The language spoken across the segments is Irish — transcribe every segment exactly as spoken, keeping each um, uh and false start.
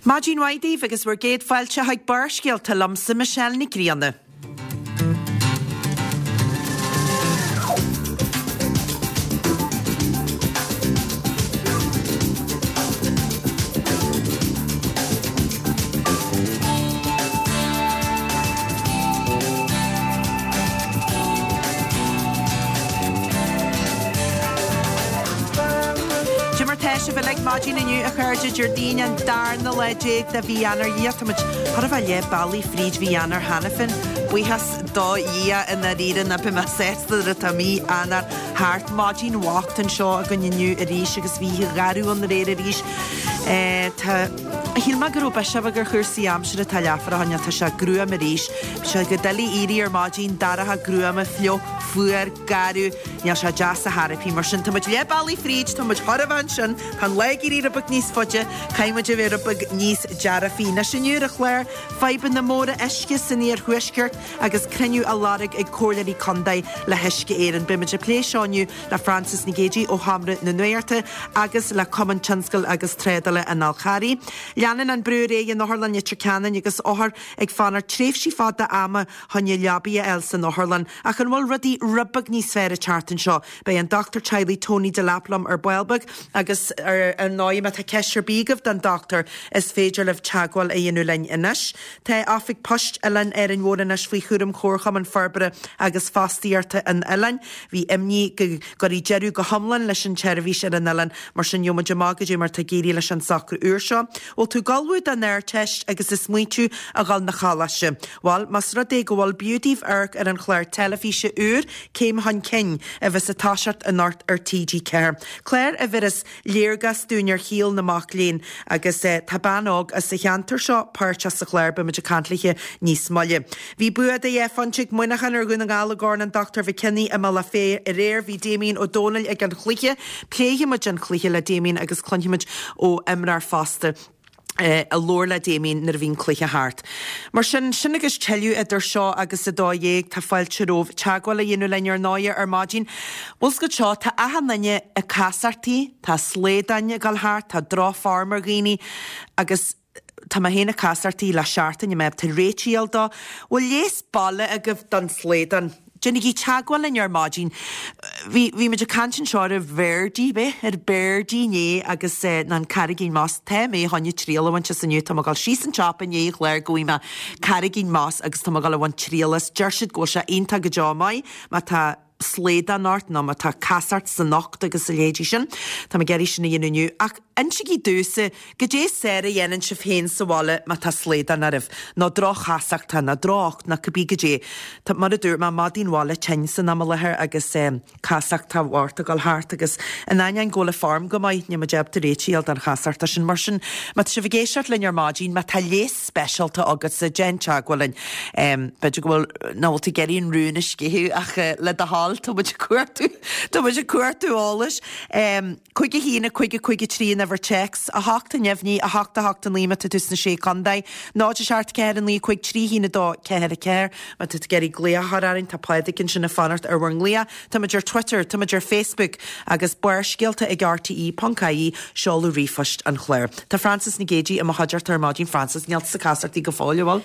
Maidin mhaith daoibh agus bhur gcéad fáilte chuig Barrscéalta liomsa Michelle Nic Grianna. Cad é mar tá sibh uilig maidin inniu a chairde Déardaoin an darna lá déag de mhí Eanáir Dhia tá muid chóir a bheith leath bealaigh fríd mhí Eanáir cheana féin. Buíochas do Dhia i ndáiríre ná beidh mé sásta nuair atá mí Eanáir thart. Maidin bhocht anseo againn inniu arís agus bhí oíche gharbh ann aréir arís. Tá Shíl mé go raibh biseach beag ar chúrsaí aimsire tá leathuair ó shin ach tá sé gruam arís. Bhí sé go doiligh éirí ar maidin, dorcha gruama, fliuch, fuar, garbh, níl sé deas ar chor ar bith. Mar sin tá muid leath bealaigh fríd, tá muid chóir a bheith ansin, tá an lá ag éirí rud beag níos faide, caithfidh muid a bheith rud beag níos dearfaí. Anois inniu ar an chlár, fadhbanna móra uisce san iarthuaisceart agus cruinniú á lorg ag comhairleoirí contae le hUisce Éireann. Beidh muid ag plé seo inniu le Frances Nic Géadaigh ó Sheomra na Nuachta agus le Cumann Tionscail agus Trádála an Fhál Charraigh. Leanann an brú ar aghaidh in Otharlann Leitir Ceanainn agus othair ag fanacht tréimhsí fada ama chun leabaidh a fháil san otharlann. Ach an bhfuil rudaí rud beag níos fearr an tseachtain seo? Beidh an dochtúir teaghlaigh Tony Delap liom ar ball beag agus ar ar ndóigh má tá ceist ar bith agaibh don dochtúir is féidir libh teagmháil a dhéanamh linn anois. Tá oifig poist Oileán Árainn Mhór anois faoi chúram Chomharchumann Forbartha agus Fostaíochta an Oileáin. Bhí imní go gcuirfí deireadh go hiomlán leis an tseirbhís ar an oileán mar sin gheobhaidh muid amach goidé mar tá ag éirí leis an socrú úr seo. Bhfuil tú ag ullmhú don Ardteist agus ag smaointiú a dhul na choláiste. Bhuel, más rud é go bhfuil b'fhiú daoibh amharc ar an chlár teilifíse úr Céim Chun Cinn a bheas ag toiseacht anocht ar TG Ceathair. Clár a bheireas léargas dúinn ar shaol na mac léinn agus eh, tá bean óg as sa cheantar seo páirteach sa chlár beimid ag caint léithe níos moille. Bhí bua de dhá phointe ag Muineachán ar Dhún na nGall i gCorn an Dr. McKinney i mBealach Féich aréir bhí Damien Ó Dónaill ag an chluiche, pléifimid an cluiche le Damien agus cluinfimid ó imreoir fosta. Eh, a labhair le Damien nuair a bhí an cluiche thart. Mar sin sin agus tuilleadh idir seo agus a dó dhéag tá fáilte romhaibh teagmháil a dhéanamh linn ar ndóigh ar maidin. Bhfuil 's agat seo tá achan duine ag casachtaí, tá slaodáin ag dul thart, tá drochfhorm ar dhaoine agus tá mé féin ag casachtaí le seachtain mé tá réitíil dó, Bhfuil leigheas baile agaibh don slaghdán. Déanaigí teagmháil linn ar maidin. Bhí bhí muid ag caint anseo ar Verdi be ar Verdi inné agus eh, ná an carraigín moss tá mé chun triail a bhaint as inniu tá mé ag dul síos an siopa i ndiaidh an chláir go bhfaighidh mé carraigín moss agus tá mé ag dul a bhaint triail as. Deir siad go bhfuil sé iontach go deo maith má tá slaghdán ort nó má tá casacht san ucht agus a leithéidí sin. Tá mé ag iarraidh sin a dhéanamh inniu ach insigí domhsa goidé is fearr a dhéanann sibh féin sa bhaile má tá slaghdán oraibh, nó droch-chasacht nó droch nó cibé goidé. Tá mar a dúirt mé maidin bhaile tinn san am i láthair agus um, casacht tá bhart ag dul thart agus in ainneoin go bhfuil an form go maith níl muid ábalta réiteach don chasacht sin mar sin má tá sibh ag éisteacht linn ar maidin má tá leigheas speisialta agatsa déan teagmháil linn. Um, B'fhéidir go bhfuil ná bhfuil tú ag iarraidh an rún a sceitheadh ach uh, le do thoil tá muid ag cuartú Tá muid ag cuartú eolais. Um, Cúig a haon cúig cúig trí an uimhir téacs a hocht a neamhní a hocht a hocht a naoi má tá tú sna sé chontae, náid a seacht ceathair a naoi cúig trí haon a dó ceathair a ceathair má tá tú ag iarraidh glaoch a chur orainn tá Pádraig ansin ag fanacht ar bhur nglaoch, Tá muid ar Twitter, tá muid ar Facebook agus Barrscéalta ag RTE ponc ie seoladh ríomhphoist an chláir. Tá Frances Nic Géadaigh i mo chuideachta ar maidin Frances níl ag casachtaí go fóill bhfuil?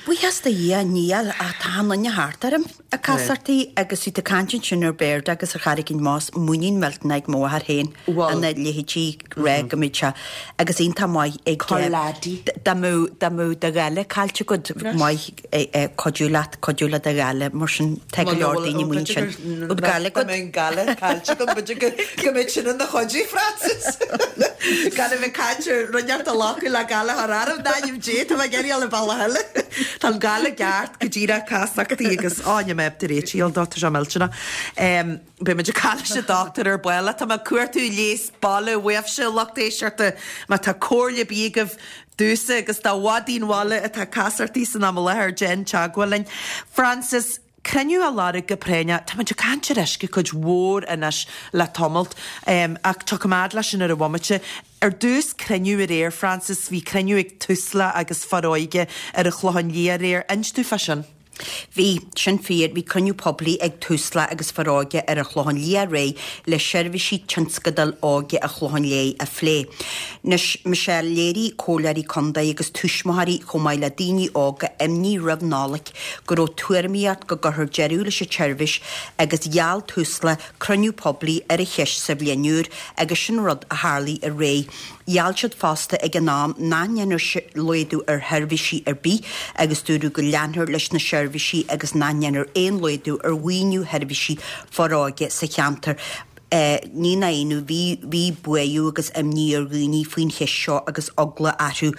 Buíochas do Dhia níl ach tá an duine thart orm ag casachtaí agus bhí tú ag caint ansin ar Bhéarda agus ar Charraigín Moss muinín millteanach ag mo mháthair féin Bhfuil. ina leithéidí rá go mbeadh sé agus iontach maith ag Corláidí. dá mbeadh dá mbeadh do ghála caillte agat maith cuidiú leat cuidiú le do ghála mar sin tá go leor daoine muin sin. Ó gála agat. gála caillte go b'fhéidir go go mbeidh sin ina chuidiú Frances. Gan a bheith caint ar rinneacht a locadh le gála thar arm náim dé tá mé ag iarraidh le bealach eile. Tá an gála ceart go díreach casachtaí agus áine mé tar éitíil dó tá sé millteanach. Um, Beidh muid ag caint leis an dochtúir ar ball tá mé ag cuartú leigheas baile uaibhse lucht éisteachta má tá comhairle ar bith agaibh domhsa agus do mhaidin bhaile atá casachtaí san am i láthair déan teagmháil linn. Frances, cruinniú á lorg go práinneach Tá muid ag caint ar uisce cuid mhór anois le tamalt um, ach tá coimeád leis sin ar an bhomaite. Ar dtús cruinniú aréir Frances bhí cruinniú ag Tusla agus Foróige ar an Chlochán Liath aréir, inis dúinn fá sin. Bhí, sin fíor, bhí cruinniú poiblí ag Tusla agus Foróige ar an Chlochán Liath aréir le seirbhísí tionscadail óige an Chlocháin Léith a phlé. Anois, Michelle, léirigh comhairleoirí contae agus tuismitheoirí chomh maith le daoine óga imní roimh Nollaig go raibh tuairimíocht go gcuirfear deireadh leis an tseirbhís agus gheall Tusla cruinniú poiblí ar an cheist sa bhliain úr agus sin rud a tharlaigh aréir. Gheall siad fosta ag an am nach ndéanfar laghdú ar sheirbhísí ar bith agus dúradh go leanfar leis na seirbhísí agus nach ndéanfar aon laghdú ar mhaoiniú sheirbhísí Foróige sa cheantar. Ní nach ionadh, bhí bhí buaireamh agus imní ar dhaoine faoin cheist seo agus eagla orthu.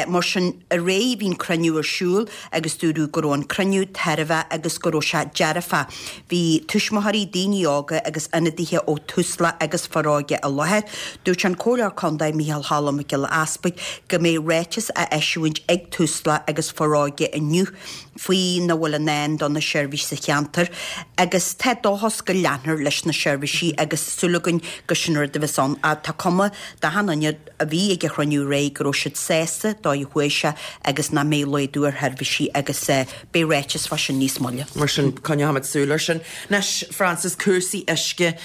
Mar sin, aréir bhí an cruinniú ar siúl agus dúradh go raibh an cruinniú tairbheach agus go raibh sé dearfach. Bhí tuismitheoirí, daoine óga agus ionadaithe ó Tusla agus Foróige i láthair. Dúirt an Comhairleoir Contae Micheál Choilm Mac Giolla Easpaig go mbeidh ráiteas á eisiúint ag Tusla agus Foróige inniu faoina bhfuil i ndán do na seirbhísí sa cheantar agus tá dóchas go leanfar leis na seirbhísí agus súil againn gur sin rud a bheas ann. Tá cuma d'achan duine a bhí ag an chruinniú aréir go raibh siad sásta dóigh a chuaigh sé agus nach mbeidh laghdú ar sheirbhísí agus beidh ráiteas fá sin níos moille. Mar sin, coinneoimid súil air sin. Anois, Frances, cúrsaí uisce,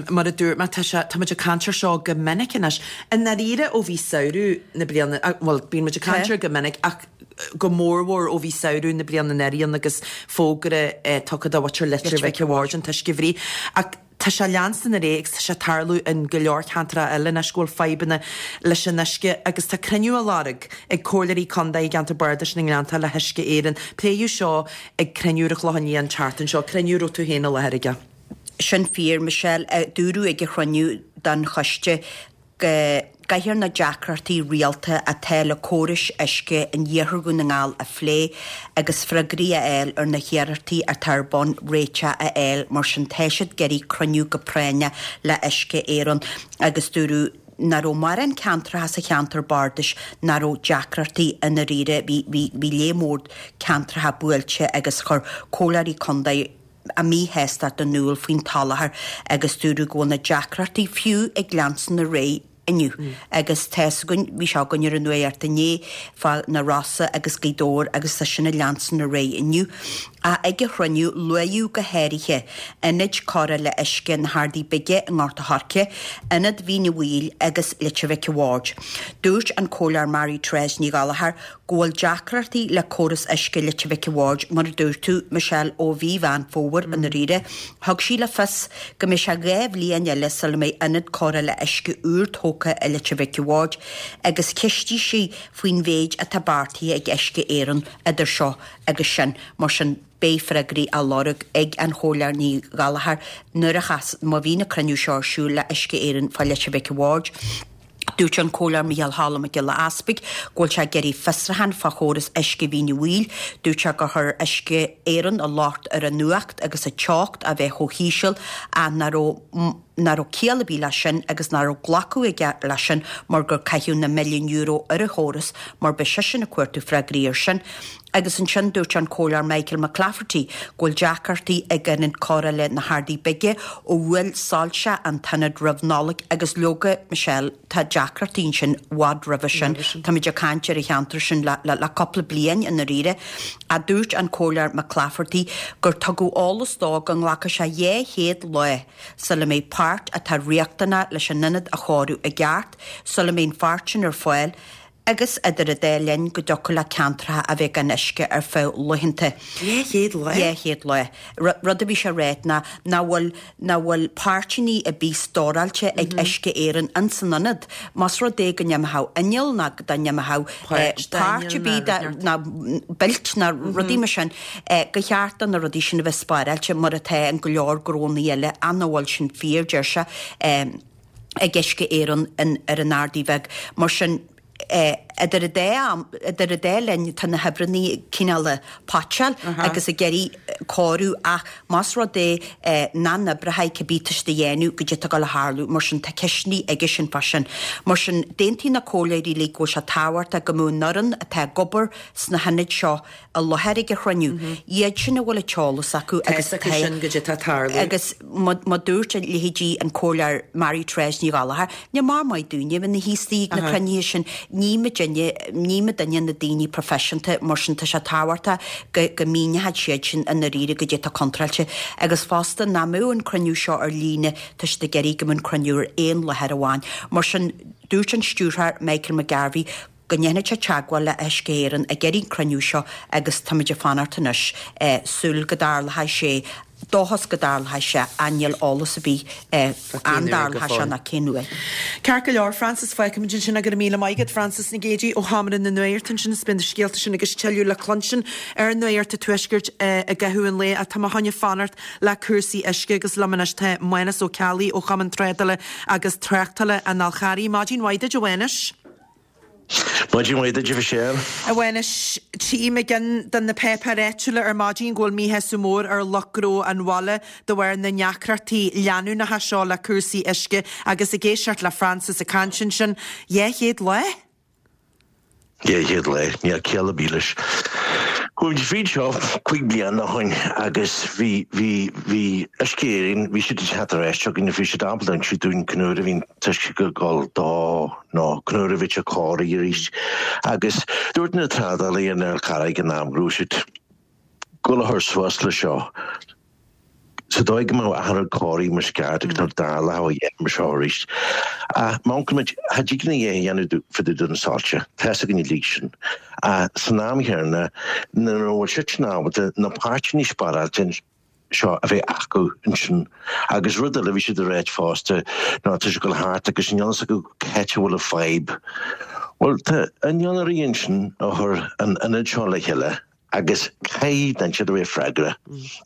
mar a dúirt mé, tá sé, tá muid ag caint air seo go minic anois. I ndáiríre ó bhí samhradh na bliana, bhuel, bíonn muid ag caint air go minic ach go mórmhór ó bhí samhradh na bliana anuraidh ann agus fógra tugtha do mhuintir Leitir Mhic a' Bhaird an t-uisce a bhruith. Ach tá sé leanstan ar aghaidh agus tá sé ag tarlú in go leor ceantracha eile anois go bhfuil fadhbanna leis an uisce agus tá cruinniú á lorg ag comhairleoirí contae i gceantar bardais na nGleanntach le hUisce Éireann. Pléadh seo ag cruinniú ar an Chlochán Liath an tseachtain seo, cruinniú a raibh tú féin i láthair aige. Sin fíor, Michelle. Dúradh ag an chruinniú don choiste go gcaithfear na deacrachtaí rialta atá le córais uisce in iarthar Dhún na nGall a phlé agus freagraí a fháil ar na hiarrachtaí atá ar bun réiteach a fháil. Mar sin tá siad ag iarraidh cruinniú go práinneach le Uisce Éireann agus dúradh nach raibh mórán ceantracha sa cheantar bardais nach raibh deacrachtaí i ndáiríre. Bhí bhí bhí lear mór ceantracha buailte agus chuir comhairleoirí contae a míshástacht in iúl faoin tsoláthar agus dúradh go bhfuil na deacrachtaí fiú ag leanstan ar aghaidh inniu. Agus tá 'fhios againn, bhí sé againn ar an nuacht inné fá na Rosa agus Gaoth Dobhair agus tá sin ag leanstan ar aghaidh inniu. Ach ag an chruinniú, luadh go háirithe ionaid cóireála uisce na hArdaí Bige i nGort a' Choirce, Ionad Mhín an Mhaoil agus Leitir Mhic an Bhaird. Dúirt an Comhairleoir Mary Therese Ní Ghallchóir go bhfuil deacrachtaí le córas uisce Leitir Mhic an Bhaird, mar a dúirt tú, Michelle, ó mhí Mheán Fómhair i ndáiríre. Thug sí le fios go mbeidh sé dhá bhliain eile sula mbeidh ionad cóireála uisce úr tógtha i Leitir Mhic an Bhaird agus cheistigh sí faoin mhéid atá beartaithe ag Uisce Éireann idir seo agus sin. Mar sin, beidh freagraí á lorg ag an Chomhairleoir Ní Ghallchóir nuair a chas, má bhíonn an cruinniú seo ar siúl le Uisce Éireann fá Leitir Mhic an Bhaird. Dúirt an Comhairleoir Micheál Choilm Mac Giolla Easpaig go bhfuil sé ag iarraidh fiosrúchán fá chóras uisce Mhín an Mhaoil. Dúirt sé gur chuir Uisce Éireann an locht ar an fhuacht agus an teocht a bheith chomh híseal ach nach raibh nach raibh ciall ar bith leis sin agus nach raibh glacadh aige leis sin mar gur caitheadh na milliúin euro ar an chóras mar beidh seisean ag cuartú freagraí air sin. Agus ansin dúirt an Comhairleoir Michael McClafferty go bhfuil deacrachtaí ag Ionad Cóireála na hArdaí Bige ó bhuail soilse an t-ionad roimh Nollaig agus leoga, Michelle, tá deacrachtaí ansin i bhfad roimhe sin. Táimid ag caint ar an cheantar sin le le cúpla bliain i ndáiríre. Ach dúirt an Comhairleoir McClafferty gur tugadh eolas dó go nglacfaidh sé dhá chéad lá sula mbeidh páirt atá riachtanach leis an ionad a chóiriú i gceart, sula mbeidh an pháirt sin ar fáil. Agus idir an dá linn go dtiocfadh le ceantracha a bheith gan uisce ar feadh laethanta. Dhá chéad lá? Dhá chéad lá. Rud a bhí sé a ráit ná nach bhfuil, nach bhfuil páirteanna ar bith stóráilte ag Uisce Éireann ins an ionad. Más rud é go n-imeochadh inneall ná dá n-imeochadh páirt ar bith de, ná beilt ná rudaí mar sin, go cheart do na rudaí sin a bheith spáráilte mar atá in go leor gnónnaí eile ach nach bhfuil sin fíor, deir sé, ag Uisce Éireann ar an Ardaidh Bheag. Mar sin, Idir an dá am, idir an dá linn tá na hoibreanna cineál ag potsáil agus ag iarraidh cóiriú ach más rud é nach n-oibreoidh cibé tá siad a dhéanamh goidé atá ag dul a tharlú, mar sin tá ceisteanna aige sin fá sin. Mar sin d'aontaigh na comhairleoirí uilig go bhfuil sé tábhachtach go mbeadh an fhoireann atá ag obair sna hionaid seo i láthair ag an chruinniú, iad sin a bhfuil an t-eolas acu agus Tá a fhios acu sin goidé atá ag tarlú. Agus mar dúirt a leithéidí an Comhairleoir Mary Therese Ní Ghallchóir, ní mar maith dúinne a bheith ina shuí istigh ag na cruinnithe sin, ní muidinne muidinne, ní muidinne na daoine proifisiúnta, mar sin tá sé tábhachtach go go míneoidh siad sin i ndáiríre goidé atá contráilte. Agus fosta nach mbeadh an cruinniú seo ar líne, tá siad ag iarraidh go mbeadh an cruinniú ar aon láthair amháin. Mar sin dúirt an stiúrthóir Michael McGarvey go ndéanfaidh sé teagmháil le Uisce Éireann ag iarraidh an cruinniú seo agus táimid ag fanacht anois, súil go dtarlóidh sé, dóchas go dtarlóidh sé ach níl eolas ar bith an dtarlóidh sé ná cén uair. Ceart go leor, Frances, fágfaimid ansin é, go raibh míle maith agat, Frances Nic Géadaigh ó Sheomra na Nuachta ansin is beidh na scéalta sin agus tuilleadh le cluinstin ar Nuacht an Tuaiscirt i gcaitheamh an lae ach tá mé chun fanacht le cúrsaí uisce agus liom anois tá Mánas Ó Ceallaigh ó Chumann Trádála agus Tráchtála an Fhál Charraigh. Maidin mhaith duit, a Mhánais. Maidin mhaith duit, a Mhichelle. A Mhánais, tchím i gceann de na páipéir áitiúla ar maidin go bhfuil míshásamh mór ar lucht gnó an bhaile de bharr na ndeacrachtaí leanúnacha seo le cúrsaí uisce agus ag éisteacht le Frances ag caint ansin, dhá chéad lá? Dhá chéad lá, níl ciall ar bith leis. Chuaigh muid fríd seo cúig bliana ó shoin agus bhí, bhí, bhí Uisce Éireann, bhí siad ag teacht ar ais chugainn, bhí siad ábalta insint dúinn cén uair a bhí an t-uisce ag dul dó nó cén uair a bhí sé cóirithe arís. Agus dúirt na trádálaithe ar an Fhál Carraigh ag an am go raibh siad ag dul a chur suas le seo. Sa dóigh go mbeadh achan rud cóirithe mar is ceart agus nach dtarlódh a dhath mar seo arís. Ach má amharcann muid, cha dtig linn a dhath a dhéanamh fá dtaobh de na soilse, tá's againn uilig sin. Ach san am chéanna, nuair a bhfuil siadsan ábalta na páirteanna spáráilte seo a bheith acu ansin. Agus rud eile a bhí siad a ráit fosta ná tá sé ag dul thart agus níl fhios acu cá háit a bhfuil an fadhb. Bhuel, tá innealtóirí ansin a chuir an ionad seo le chéile. Agus caithfidh duine inteacht a bheith freagrach.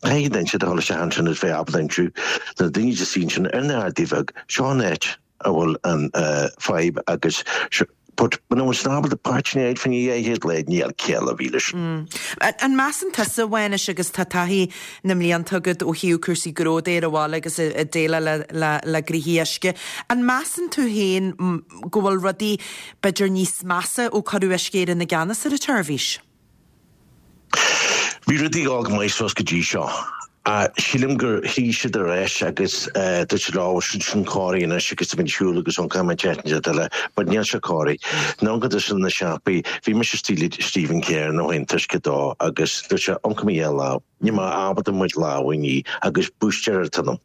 Caithfidh duine inteacht a dhul isteach ansin is bheith ábalta insiú do na daoine istigh ansin ar na hArdaí Bheag, seo an áit a bhfuil an fadhb agus but muna bhfuil siad ábalta páirteanna a fháil fá choinne dhá chéad lá níl ciall ar bith leis. An measann tusa, a Mhánais, agus tá taithí na mblianta agat ó thaobh cúrsaí gnó de ar an bhaile agus ag déileáil le gnoithí uisce, an measann tú féin go bhfuil rudaí b'fhéidir níos measa ó cuireadh Uisce Éireann i gceannas ar an tseirbhís? Bhí rudaí ag dul go maith suas go dtí seo. Sílim gur shuigh siad ar ais agus dúirt siad leo, sin sin cóirithe anois agus tá muid ar shiúl agus ón caithfidh muid teacht eile, but níl sé cóirithe. Nó go dtí na siopaí, bhí mise istigh le Stephen Kerr ó shin t-uisce dó agus dúirt sé, amharc mé a lámh, níl mé ábalta mo lámh a ní agus búistéir ar tonam.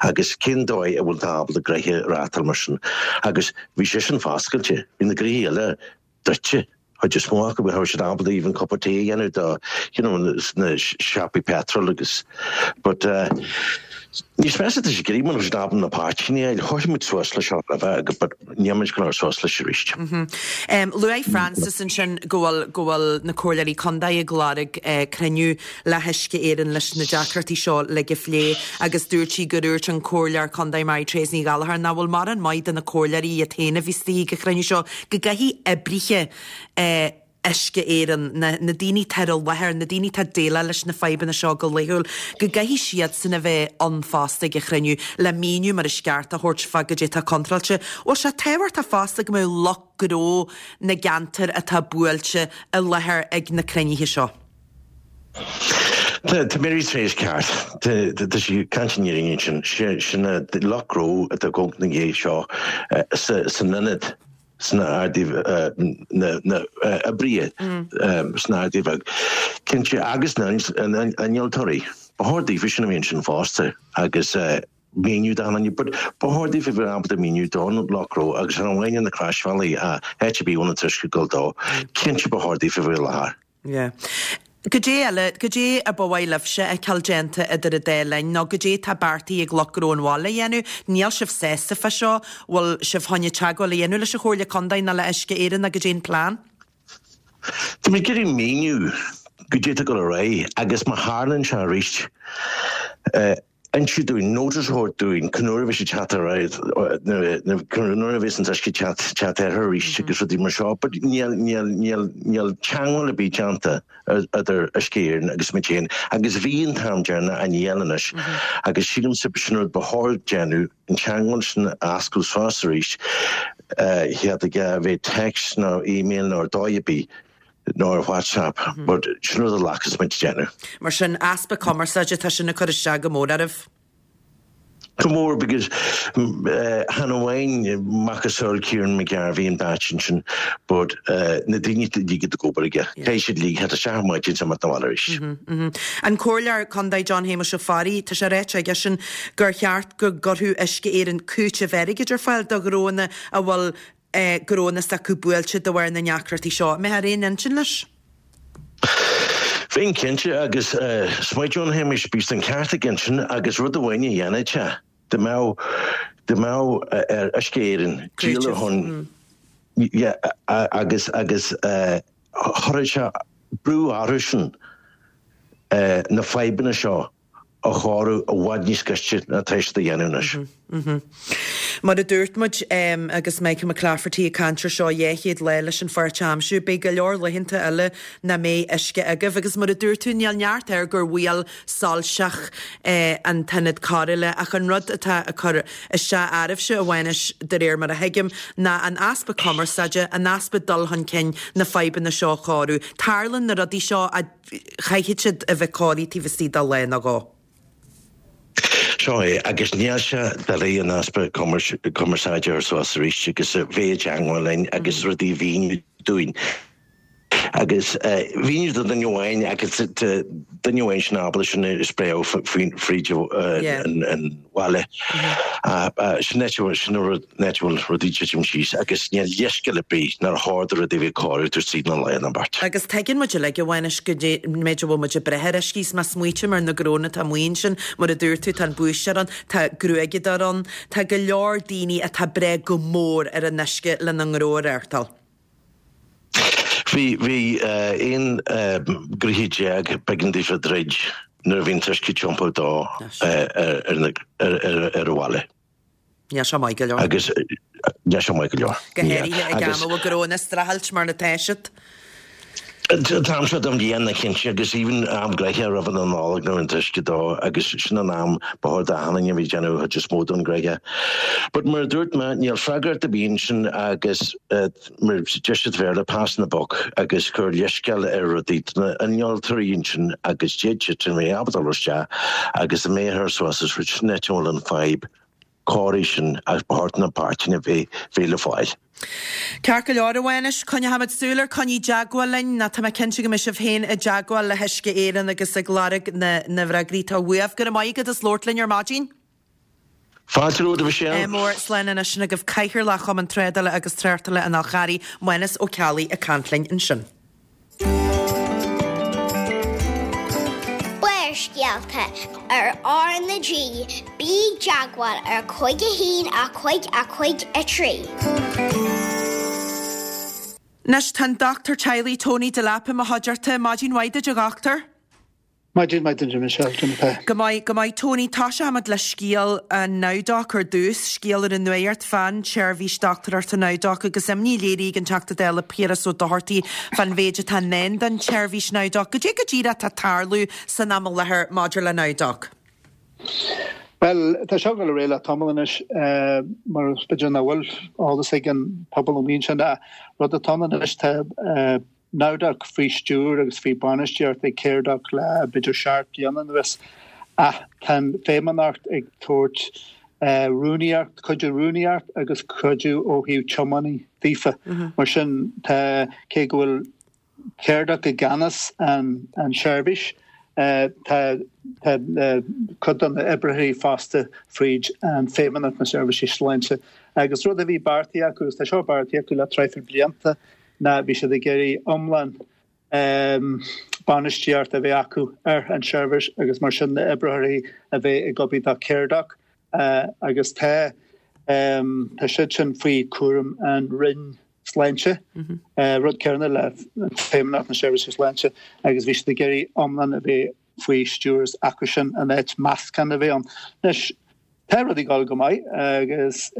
Agus cén dóigh a bhfuil tú ábalta gnoithe a reáchtáil mar sin? Agus bhí sé sin foscailte, bhí na gnoithí eile druidte. Chuid is mó acu, bhí siad ábalta even cup of tea a dhéanamh do, you know, na siopaí petrol agus, but eh, níos measa tá sé ag éirí muna bhfuil siad ábalta na páirteanna a fháil. Chuir muid suas leis seo roimhe agus but níl muid ag dul suas leis arís. Luaigh Frances ansin go bhfuil go bhfuil na comhairleoirí contae ag lorg cruinniú le hUisce Éireann leis na deacrachtaí seo uilig a phlé agus dúirt sí gur dhúirt an comhairleoir contae Mary Therese Ní Ghallchóir nach bhfuil mórán maith do na comhairleoirí iad féin a bhí istigh ag an chruinniú seo go gcaithfidh oibrithe Uisce Éireann, na na daoine atá ar an láthair, na daoine atá ag déileáil leis na fadhbanna seo go laethúil, go gcaithfidh siadsan a bheith ann fosta ag an chruinniú le míniú mar is ceart a thabhairt fá goidé atá contráilte. Bhfuil sé tábhachtach fosta go mbeadh lucht gnó na gceantar atá buailte i láthair ag na cruinnithe seo? Tá tá Mary Therese ceart. Tá tá sí ag caint an fhírinne ansin. Sin na lucht gnó atá ag gabháil na dhiaidh seo sa san ionad sna Ardaí na na oibrithe sna Ardaí Bheag. Cinnte agus na innealtóirí. Ba chóir daofa sin a bheith ansin fosta agus míniú do na but ba chóir daofa bheith ábalta míniú don lucht gnó agus chan amháin ar na Croisbhealaí ach áit ar bith a bhfuil an t-uisce ag dul dó. Cinnte ba chóir daofa bheith i láthair. Yeah. Goidé eile, goidé a ba mhaith libhse a fheiceáil déanta idir an dá linn, nó goidé atá beartaithe ag lucht gnó an bhaile a dhéanamh? Níl sibh sásta fá seo? Bhfuil sibh chun teagmháil a dhéanamh leis an Chomhairle Contae nó le Uisce Éireann nó goidé an plean? Tá muid ag iarraidh míniú goidé atá ag dul ar aghaidh agus má tharlaíonn sé arís, insiú dúinn, notice a thabhairt dúinn cén uair a bheidh sé teacht ar aghaidh, cén uair a bheas an t-uisce teacht teacht air arís agus rudaí mar seo. But níl, níl, níl, níl teagmháil ar bith déanta idir Uisce Éireann agus muid féin agus bhí an t-am deireanach ach níl anois agus sílimse sin rud ba chóir déanamh, an teagmháil sin a oscailt suas arís, chéad aige a bheith text nó email nó ar dóigh ar bith. nó ar WhatsApp, but sin rud a ghlacas muid déanamh. Mar sin, easpa cumarsáide, tá sin ag cur isteach go mór oraibh. Go mór because chan amháin macasamhail Kieran McGarvey an batch sin but na daoine uilig ag obair aige. Caithfidh siad uilig theacht isteach ar maidin is imeacht abhaile arís. An Comhairleoir Contae John Shéamuis Ó Fearraigh, tá sé ráite aigesean gur cheart go gcuirfeadh Uisce Éireann cúiteamh airgid ar fáil do ghnónna a bhfuil gnónna s'acu buailte de bharr na ndeacrachtaí seo. An mbeifeá ar aon intinn leis? Bheinn cinnte agus is maith John Shéamuis bíos an ceart aige ansin agus rud amháin a dhéanfadh sé, dá mbeadh dá mbeadh ar Uisce Éireann díol ar shon yeah, agus agus chuirfeadh sé brú orthu sin na fadhbanna seo a chóiriú i bhfad níos gaiste ná tá siad a dhéanamh anois. Mar a dúirt muid agus Michael McClafferty ag caint ar seo dhá chéad lá leis an pháirt a aimsiú, beidh go leor laethanta eile nach mbeidh uisce agaibh agus mar a dúirt tú níl neart air gur bhuail soilseach an t-ionad cóireála ach an rud atá ag cur isteach oraibhse a Mhánais de réir mar a thuigim ná an easpa cumarsáide, an easpa dul chun cinn na fadhbanna seo a chóiriú. Tarlaíonn na rudaí seo a chaithfidh siad a bheith cóirithe taobh istigh de lá nó dhó. Seo é, agus níl sé doiligh an easpa cumarsáide a chur suas arís agus a bheith i dteangmháil linn agus rudaí a mhíniú dúinn. Agus mhíniú do dhuine amháin agus duine amháin sin ábalta sin a spréadh fríd an bhaile. Sin áit sin an rud áit a bhfuil rudaí ag titim síos agus níl leithscéal ar bith nár chóir do rudaí a bheith cóirithe tar tríd na lá na beart. Agus tuigeann muid uilig, a Mhánais, go méid a bhfuil muid ag brath ar uisce is má smaoitím ar na gnónna atá amuigh ansin, mar a dúirt tú, tá an búiséir ann, tá gruaigeadóir ann, tá go leor daoine atá ag brath go mór ar an uisce lena ngnó a reáchtáil. Bhí bhí aon gnoithe déag b'éigean daofa druid nuair a bhí an t-uisce tiompaithe dó ar ar ar an bhaile. Níl sé maith go leor. Agus níl sé maith go leor. Go háirithe ag am a bhfuil gnónna ag streachailt mar atá siad. An t-am seo den bhliain cinnte agus even am gnoithe roimh an Nollaig nuair an t-uisce dó agus sin an am ba chóir d'achan duine a bhí ag déanamh chuid is mó don gnoithe. But mar a dúirt mé níl freagracht ar bith ansin agus mar deir siad Béarla passing the buck agus cur leithscéal ar rudaí na innealtóirí ansin agus d'fhéadfadh siad a bheith ábalta dul isteach agus a mbeidh ar suas is rud sin áit a bhfuil an fadhb cóirithe sin agus ba chóir na páirteanna bheith bheith le fáil. Ceart go leor, a Mhánais, coinneochaimid súil air, coinnigh i dteagmháil linn, nó tá mé cinnte go mbeidh sibh féin i dteagmháil le hUisce Éireann agus ag lorg na na bhfreagraí atá uaibh. Go raibh maith agat as labhairt linn ar maidin. Fáilte romhat, a Mhichelle. Mór, slán anois sin agaibh Cathaoirleach Chumann Trádála agus Tráchtála an Fhál Charraigh, Mánas Ó Ceallaigh ag caint linn ansin. Barrscéalta ar R na G, bí i dteagmháil ar cúig a haon a cúig a cúig a trí. Anois tá an dochtúir teaghlaigh Tony Delap i mo chuideachta. Maidin mhaith duit a dhochtúir. Maidin mhaith duit a Michelle, conas tá. Go maith, go maith Tony. Tosóimid le scéal an NowDoc ar dtús, scéal ar an nuacht fán tseirbhís dochtúireachta NowDoc agus imní léirithe ag an Teachta Dála Piaras Ó Dochartaigh fán mhéid atá i ndán don tseirbhís NowDoc. Goidé go díreach atá ag tarlú san am i láthair maidir le NowDoc? Bhuel, tá seo ag dul ar aghaidh le tamall anois, mar b'fhéidir nach bhfuil eolas ag an pobal amuigh ansin, rud atá ann anois, tá NowDoc faoi stiúir agus faoi bainistíocht ag Caredoc le b'fhéidir seacht bliana anuas ach tá an Feidhmeannacht ag tabhairt rúnaíocht, cuidiú rúnaíocht agus cuidiú ó thaobh tiománaí daofa. Mar sin tá, cé go bhfuil Caredoc i gceannas an an seirbhís, tá tá cuid de na oibrithe fostaithe fríd an Feidhmeannacht na Seirbhísí Sláinte agus rud a bhí beartaithe acu agus tá seo beartaithe acu le traidhfil blianta, ná bhí siad ag iarraidh iomlán bainistíocht a bheith acu ar an tseirbhís agus mar sin na oibrithe a bheith ag obair do Caredoc agus tá tá siad sin faoi chúram an Roinn Sláinte, rud céanna le Feidhmeannacht na Seirbhíse Sláinte agus bhí siad ag iarraidh iomlán a bheith faoi stiúir acu sin in áit meascán a bheith ann. Anois, tá rudaí ag dul go maith agus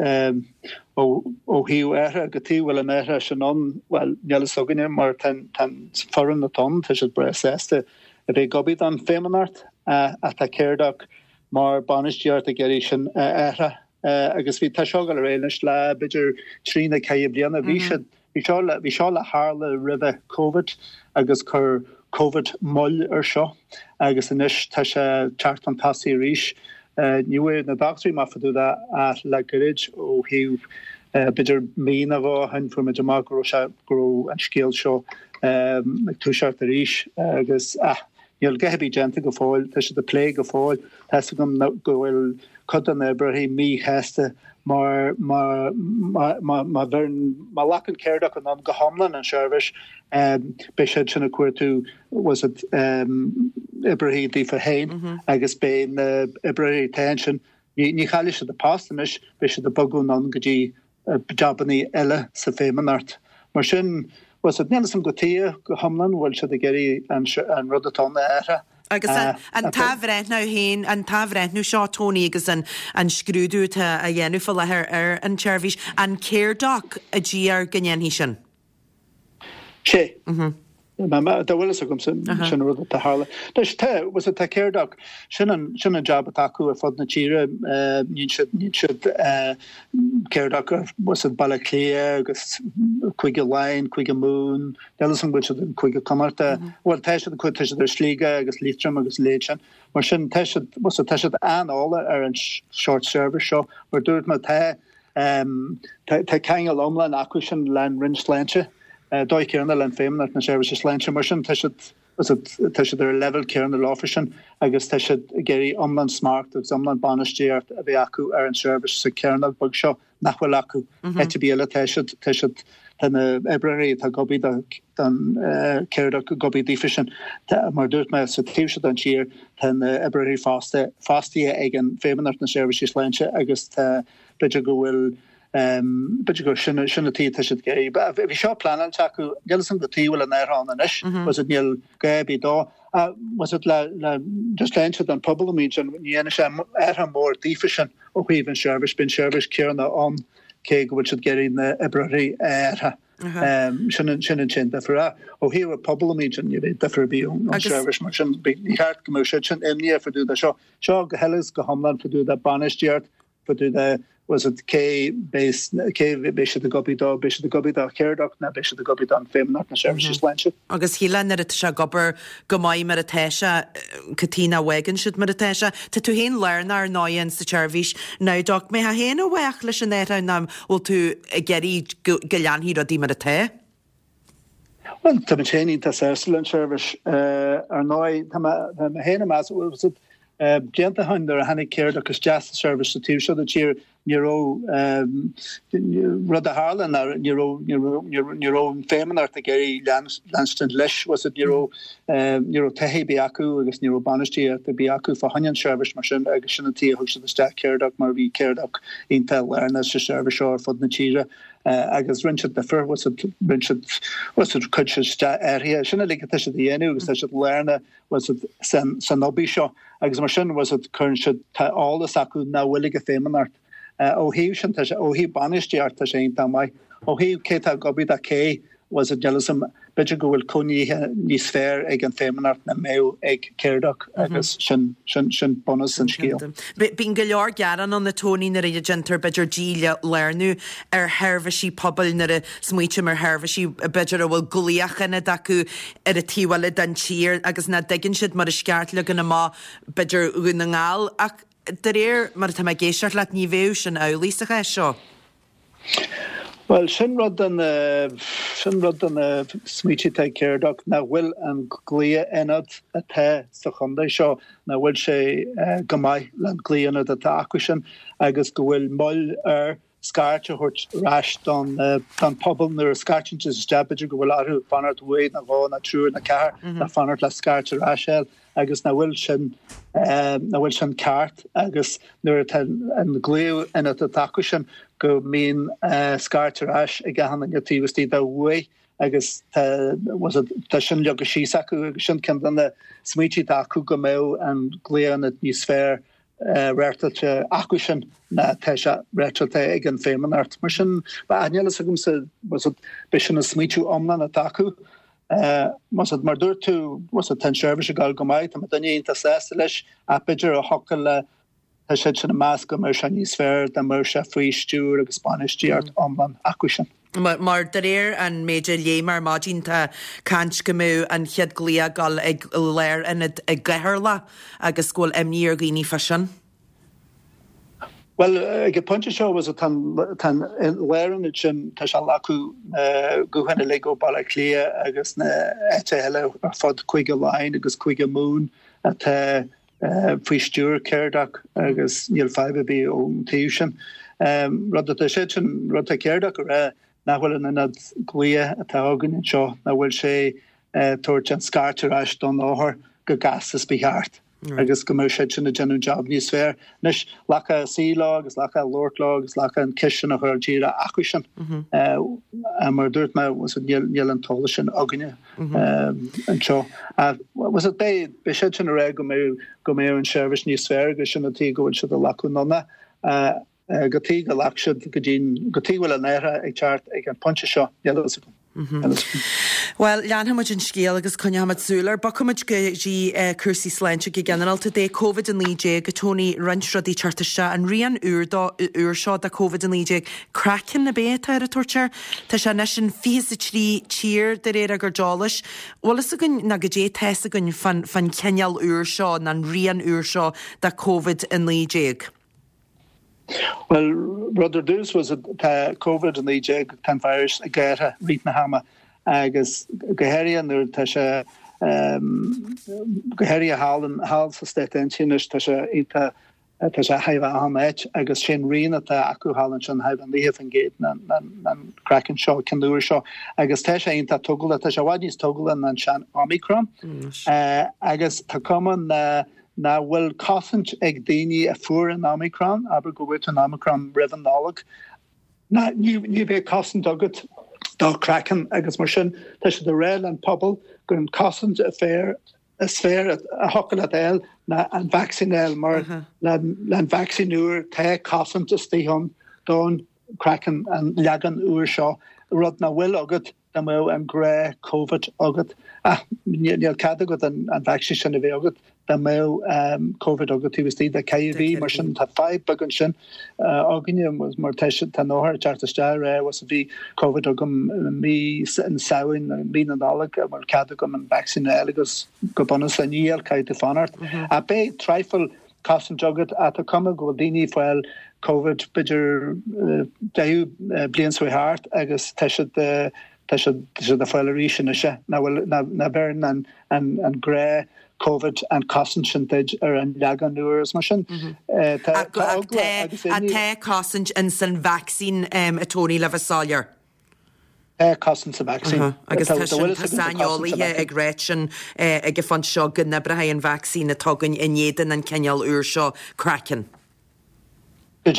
ó thaobh athrú, cad chuige a bhfuil an athrú sin ann, bhuel, níl a fhios againne mar tá an foireann atá ann, tá siad breá sásta a bheith ag obair don Feidhmeannacht ach tá Caredoc mar bainistíocht ag iarraidh sin a athrú agus bhí, tá seo ag dul ar aghaidh anois le b'fhéidir trí nó ceithre bliana, bhí siad, Bhí seo le, bhí seo le tharlú roimhe Covid agus chuir Covid moill ar seo agus anois tá sé teacht chun tosaigh arís. Ní bhfuair na dochtúirí amach fá dtaobh de ach le gairid ó thaobh b'fhéidir mí nó dhó ó shin fuair muid amach go raibh sé go raibh an scéal seo ag toiseacht arís agus ah níl a dhath ar bith déanta go fóill, tá siad ag plé go fóill. Tá 'fhios agam go bhfuil cuid de na oibrithe míshásta mar má má má bheireann má ghlacann Caredoc anonn go hiomlán an tseirbhís beidh siad sin ag cuartú bhfuil 'fhios a'd oibrithe daofa féin agus beidh na oibrithe atá ansin ní ní chaillfidh siad a post anois beidh siad ag bogadh anonn go dtí jabannaí eile sa Feidhmeannacht. Mar sin, bhfuil 'fhios a'd, níl 'fhios a'm cad chuige go hiomlán bhfuil siad ag iarraidh an rud atá ann a athrú. Agus an t-athbhreithniú féin, an t-athbhreithniú seo, Tony, agus an an scrúdú atá á dhéanamh faoi láthair ar an tseirbhís, an Caredoc a d'iarr go ndéanfaí sin? Sé. Dá bhfuil fhios agamsa, sin an rud atá tharla. Anois tá, bhfuil 'fhios a'd, tá Caredoc, sin an, sin an jab atá acu ar fud na tíre, níonn siad, níonn siad Caredoc ar, bhfuil 'fhios a'd, Baile Átha Cliath agus Cúige Laighean, Cúige Mumhan, níl fhios agam bhfuil siad in Cúige Connachta, bhuel tá siad, tá siad ar Sligeach agus Liatroim agus a leithéid sin. Mar sin tá siad, bhfuil 'fhios a'd, tá siad an-eolach ar an sórt service seo, mar dúirt mé tá, tá ceangal iomlán acu sin le an Roinn Sláinte. Dóigh céanna le an Feidhmeannacht na Seirbhíse Sláinte. Mar sin tá siad tá siad ar an leibhéal céanna leofa sin agus tá siad ag iarraidh iomlán smacht agus iomlán bainistíocht a bheith acu ar an seirbhís sa chearnóg beag seo nach bhfuil acu. Áit ar bith eile tá siad tá siad tá na oibreoirí atá ag obair don Caredoc ag obair daofa sin. Mar a dúirt mé sa taobh seo den tír tá na oibreoirí fosta fostaithe ag an Feidhmeannacht na Seirbhíse Sláinte agus tá b'fhéidir go bhfuil B'fhéidir gur sin sin an tuige atá siad ag iarraidh. Bhí seo pleanáilte acu, níl fhios agam cad chuige a bhfuil an athrú ann anois, bhfuil 'fhios a'd níl gá ar bith dó. Bhfuil 'fhios a'd le le just le inse don phobal amuigh ansin, ní dhéanfaidh sé athrú mór daofa sin ó thaobh an seirbhís, beidh an seirbhís céanna ann cé go bhfuil siad ag iarraidh na oibreoirí a athrú. Sin an sin an t-aon difear. Ó thaobh an pobal amuigh ansin ní bheidh difear ar bith ón seirbhís mar sin ní cheart go mbeadh siad sin imníoch fá dtaobh de seo. Seo go huile is go hiomlán fá dtaobh de bainistíocht fá dtaobh de bhfuil 'fhios a'd cé beidh cé beidh siad ag obair dó, beidh siad ag obair do Caredoc nó beidh siad ag obair don Feidhmeannacht na Seirbhísí Sláinte. Agus shílfeá nuair atá sé ag obair go maith mar atá sé, cad chuige nach bhfágann siad mar atá sé. Tá tú féin lárnach ar ndóigh in sa tseirbhís Nowdoc. Mbeifeá féin i bhfách leis an athrú nó bhfuil tú ag iarraidh go go leanfaidh rudaí mar atá? Bhuel, tá mé féin iontach sásta leis an tseirbhís. Ar ndóigh, tá mé tá mé féin ag meas, bhfuil 'fhios a'd, Blianta ó shin nuair a tháinig Caredoc isteach sa seirbhís sa taobh seo den tír ní raibh rud a tharla ná ní raibh ní raibh ní raibh an Feidhmeannacht ag iarraidh leanstan leis bhfuil 'fhios a'd ní raibh ní raibh taithí ar bith acu agus ní raibh bainistíocht ar bith acu fá choinne an seirbhís mar sin agus sin an tuige a thug siad isteach Caredoc mar bhí Caredoc iontach lárnach sa seirbhís seo ar fud na tíre agus rinne siad difear bhfuil 'fhios a'd rinne siad bhfuil 'fhios a'd chuir siad isteach athruithe sin uilig atá siad a dhéanamh agus tá siad lárnach bhfuil 'fhios a'd san san obair seo agus mar sin bhfuil 'fhios a'd cuireann siad tá eolas acu nach bhfuil ag an Feidhmeannacht. Ó thaobh sin tá sé ó thaobh bainistíocht tá sé iontach maith. Ó thaobh cé atá ag obair do cé bhfuil 'fhios a'd níl 'fhios a'm b'fhéidir go bhfuil coinníollacha níos fearr ag an Feidhmeannacht ná mbeadh ag Caredoc agus sin sin sin bunús an scéil. Bíonn go leor gearán ann a Tony nuair a déantar b'fhéidir dílárnú ar sheirbhísí pobail nuair a smaoitím ar sheirbhísí b'fhéidir a bhfuil glaoch ionad acu ar an taobh eile den tír agus nach dtuigeann siad mar is ceart leagan amach b'fhéidir Dhún na nGall ach de réir mar atá mé ag éisteacht leat ní bheadh sin amhlaidh sa chás seo. Bhuel sin rud de na sin rud de na smaointe atá ag Caredoc nach bhfuil an glaoch-ionad atá sa chontae seo nach bhfuil sé go maith le an glaoch-ionad atá acu sin agus go bhfuil moill ar scairt a thabhairt ar ais don don phobal nuair a scairteann siad isteach b'fhéidir go bhfuil orthu fanacht uair nó dhó nó triúr nó ceathair le fanacht le scairt ar ais a fháil agus nach bhfuil sin nach bhfuil sin ceart agus nuair atá an glaoch-ionad atá acu sin go mbíonn scairt ar ais ag achan duine taobh istigh de uair agus tá tá sin leagtha síos acu agus sin ceann de na smaointe atá acu go mbeadh an glaoch-ionad níos fearr reáchtáilte acu sin ná tá sé reáchtáilte ag an Feidhmeannacht. Mar sin, níl a fhios agamsa, b'é sin an smaointiú iomlán atá acu. Más mar dúirt tú, tá an seirbhís ag dul go maith, tá mo dhuine iontach sásta leis, ach b'fhéidir a thiocfadh le, tá siad sin ag meas go mbeadh sé níos fearr dá mbeadh sé faoi stiúir agus bainistíocht iomlán acu sin. Mar de réir an méid a léigh mé ar maidin tá caint go mbeadh an chéad glaoch ag dul ag lárionad i gCeatharlach agus go bhfuil imní ar dhaoine fá sin. Bhuel, ag an bpointe seo was tá an lárionad sin tá sé ag glacadh gutháin uilig ó Baile Átha Cliath agus na áiteacha eile ar fud Cúige Laighean agus Cúige Mumhan atá faoi stiúir Cerdach agus níl fadhb ar bith ón taobh sin. Rud atá siad sin, rud atá Cerdach a rá nach bhfuil an ionad glaoch atá againn anseo, nach bhfuil sé ag tabhairt an scairt ar ais don othar go gasta is ba cheart agus go mbeadh siad sin ag déanamh job níos fearr. Anois, glacadh suí leo agus glacadh labhairt leo agus glacadh an ceist sin a chur díreach acu sin. Mar a dúirt mé, níl an t-eolas sin againne anseo. Beidh siad sin ag rá go mbeadh go mbeadh an seirbhís níos fearr agus sin an tuige go bhfuil siad ag glacadh anonn go dtí go nglac siad go dtí go dtí bhfuil an athrá ag teacht ag an pointe seo, níl a fhios agam. Bhuel, leanfaidh muid an scéal agus coinneoidh muid súil air. Bogfaidh muid go dtí cúrsaí sláinte go ginearálta. De Covid a naoi déag, a Tony, roinnt rudaí teacht isteach. An rian úr dó, úr seo de Covid a naoi déag, Kraken ab é atá ar a tabhairt air. Tá sé anois in fiche is a trí tír de réir ár gcuid eolais. Bhfuil fhios againn ná goidé tá fhios againn fán fán chineál úr seo, ná an rian úr seo de Covid a naoi déag? Bhuel, rud ar dtús was tá Covid a naoi déag, tá an virus ag athrú i rith na hama agus go háirithe nuair tá sé go háirithe thall thall sa Stáit Aontaithe anois tá sé iontach tá sé thar achan áit agus sé'n rian atá acu thall ansin thar naocha faoin gcéad ná an Kraken seo ceann úr seo agus tá sé iontach tógálach tá sé i bhfad níos tógála ná an sean Omicron agus tá cuma na nach bhfuil cosaint ag daoine a fuair an Omicron, abair go bhfuair tú an Omicron roimh an Nollaig, ná ní ní bheidh cosaint agat do Kraken agus mar sin tá siad ag rá leis an pobal gur an cosaint a fearr is fearr a thiocfadh leat a fháil ná an vacsaín a fháil mar le le an vacsaín úr tá cosaint istigh ann don Kraken an leagan úr seo rud nach bhfuil agat dá mbeadh an gnáth Covid agat. Ach níl cead agat an an vacsaín sin a bheith agat dá mbeadh Covid agat taobh istigh de ceithre mhí mar sin tá fadhb beag ansin againne mar tá tá an othar ag teacht isteach ag rá was bhí Covid agam mí an Samhain mí na Nollag an bhfuil cead agam an vacsaín a fháil agus go bunúsach níl caithfidh tú fanacht. Ach beidh traidhfil cosaint agat ach tá cuma go bhfuil daoine ag fáil Covid b'fhéidir deichiú bliain seo thart agus tá siad tá siad tá siad ag fáil arís anois nach bhfuil nach bheireann an an an gnáth Covid an cosaint sin duit ar an leagan úr is mar sin tá tá eagla agus imní. Tá cosaint in san vacsaín a Tony le bheith soiléir. Tá cosaint sa vacsaín. Agus tá sin tá saineolaithe ag rá sin ag an phointe seo go n-oibreoidh an vacsaín atá againn in éadan an cineál úr seo Kraken. Tá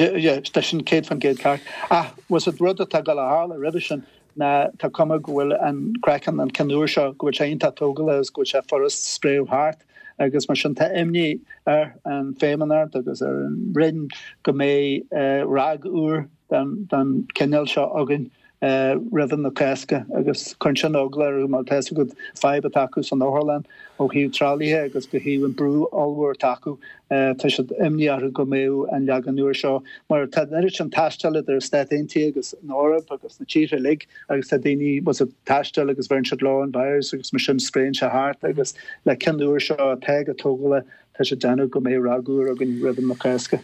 sin céad faoin gcéad ceart. Ach was it rud atá ag dul a tharla roimhe sin ná tá cuma go bhfuil an Kraken an ceann úr seo go bhfuil sé iontach tógála agus go bhfuil sé furast spréadh thart agus mar sin tá imní ar an Feidhmeannacht agus ar an Roinn go mbeidh ráig úr den den cineál seo againn roimh na Cásca agus cuireann sin eagla orthu mar tá fhios agat fadhb atá acu san otharlann ó thaobh tralaithe agus go thaobh an brú ollmhór atá acu tá siad imní orthu go mbeadh an leagan úr seo mar tá an oiread sin taisteal idir Stáit Aontaithe agus an Eoraip agus na tíortha uilig agus tá daoine was ag taisteal agus bheireann siad leo an virus agus mar sin spréann sé thart agus le ceann úr seo atá go tógála tá sé déanamh go mbeidh ráig úr againn roimh na Cásca.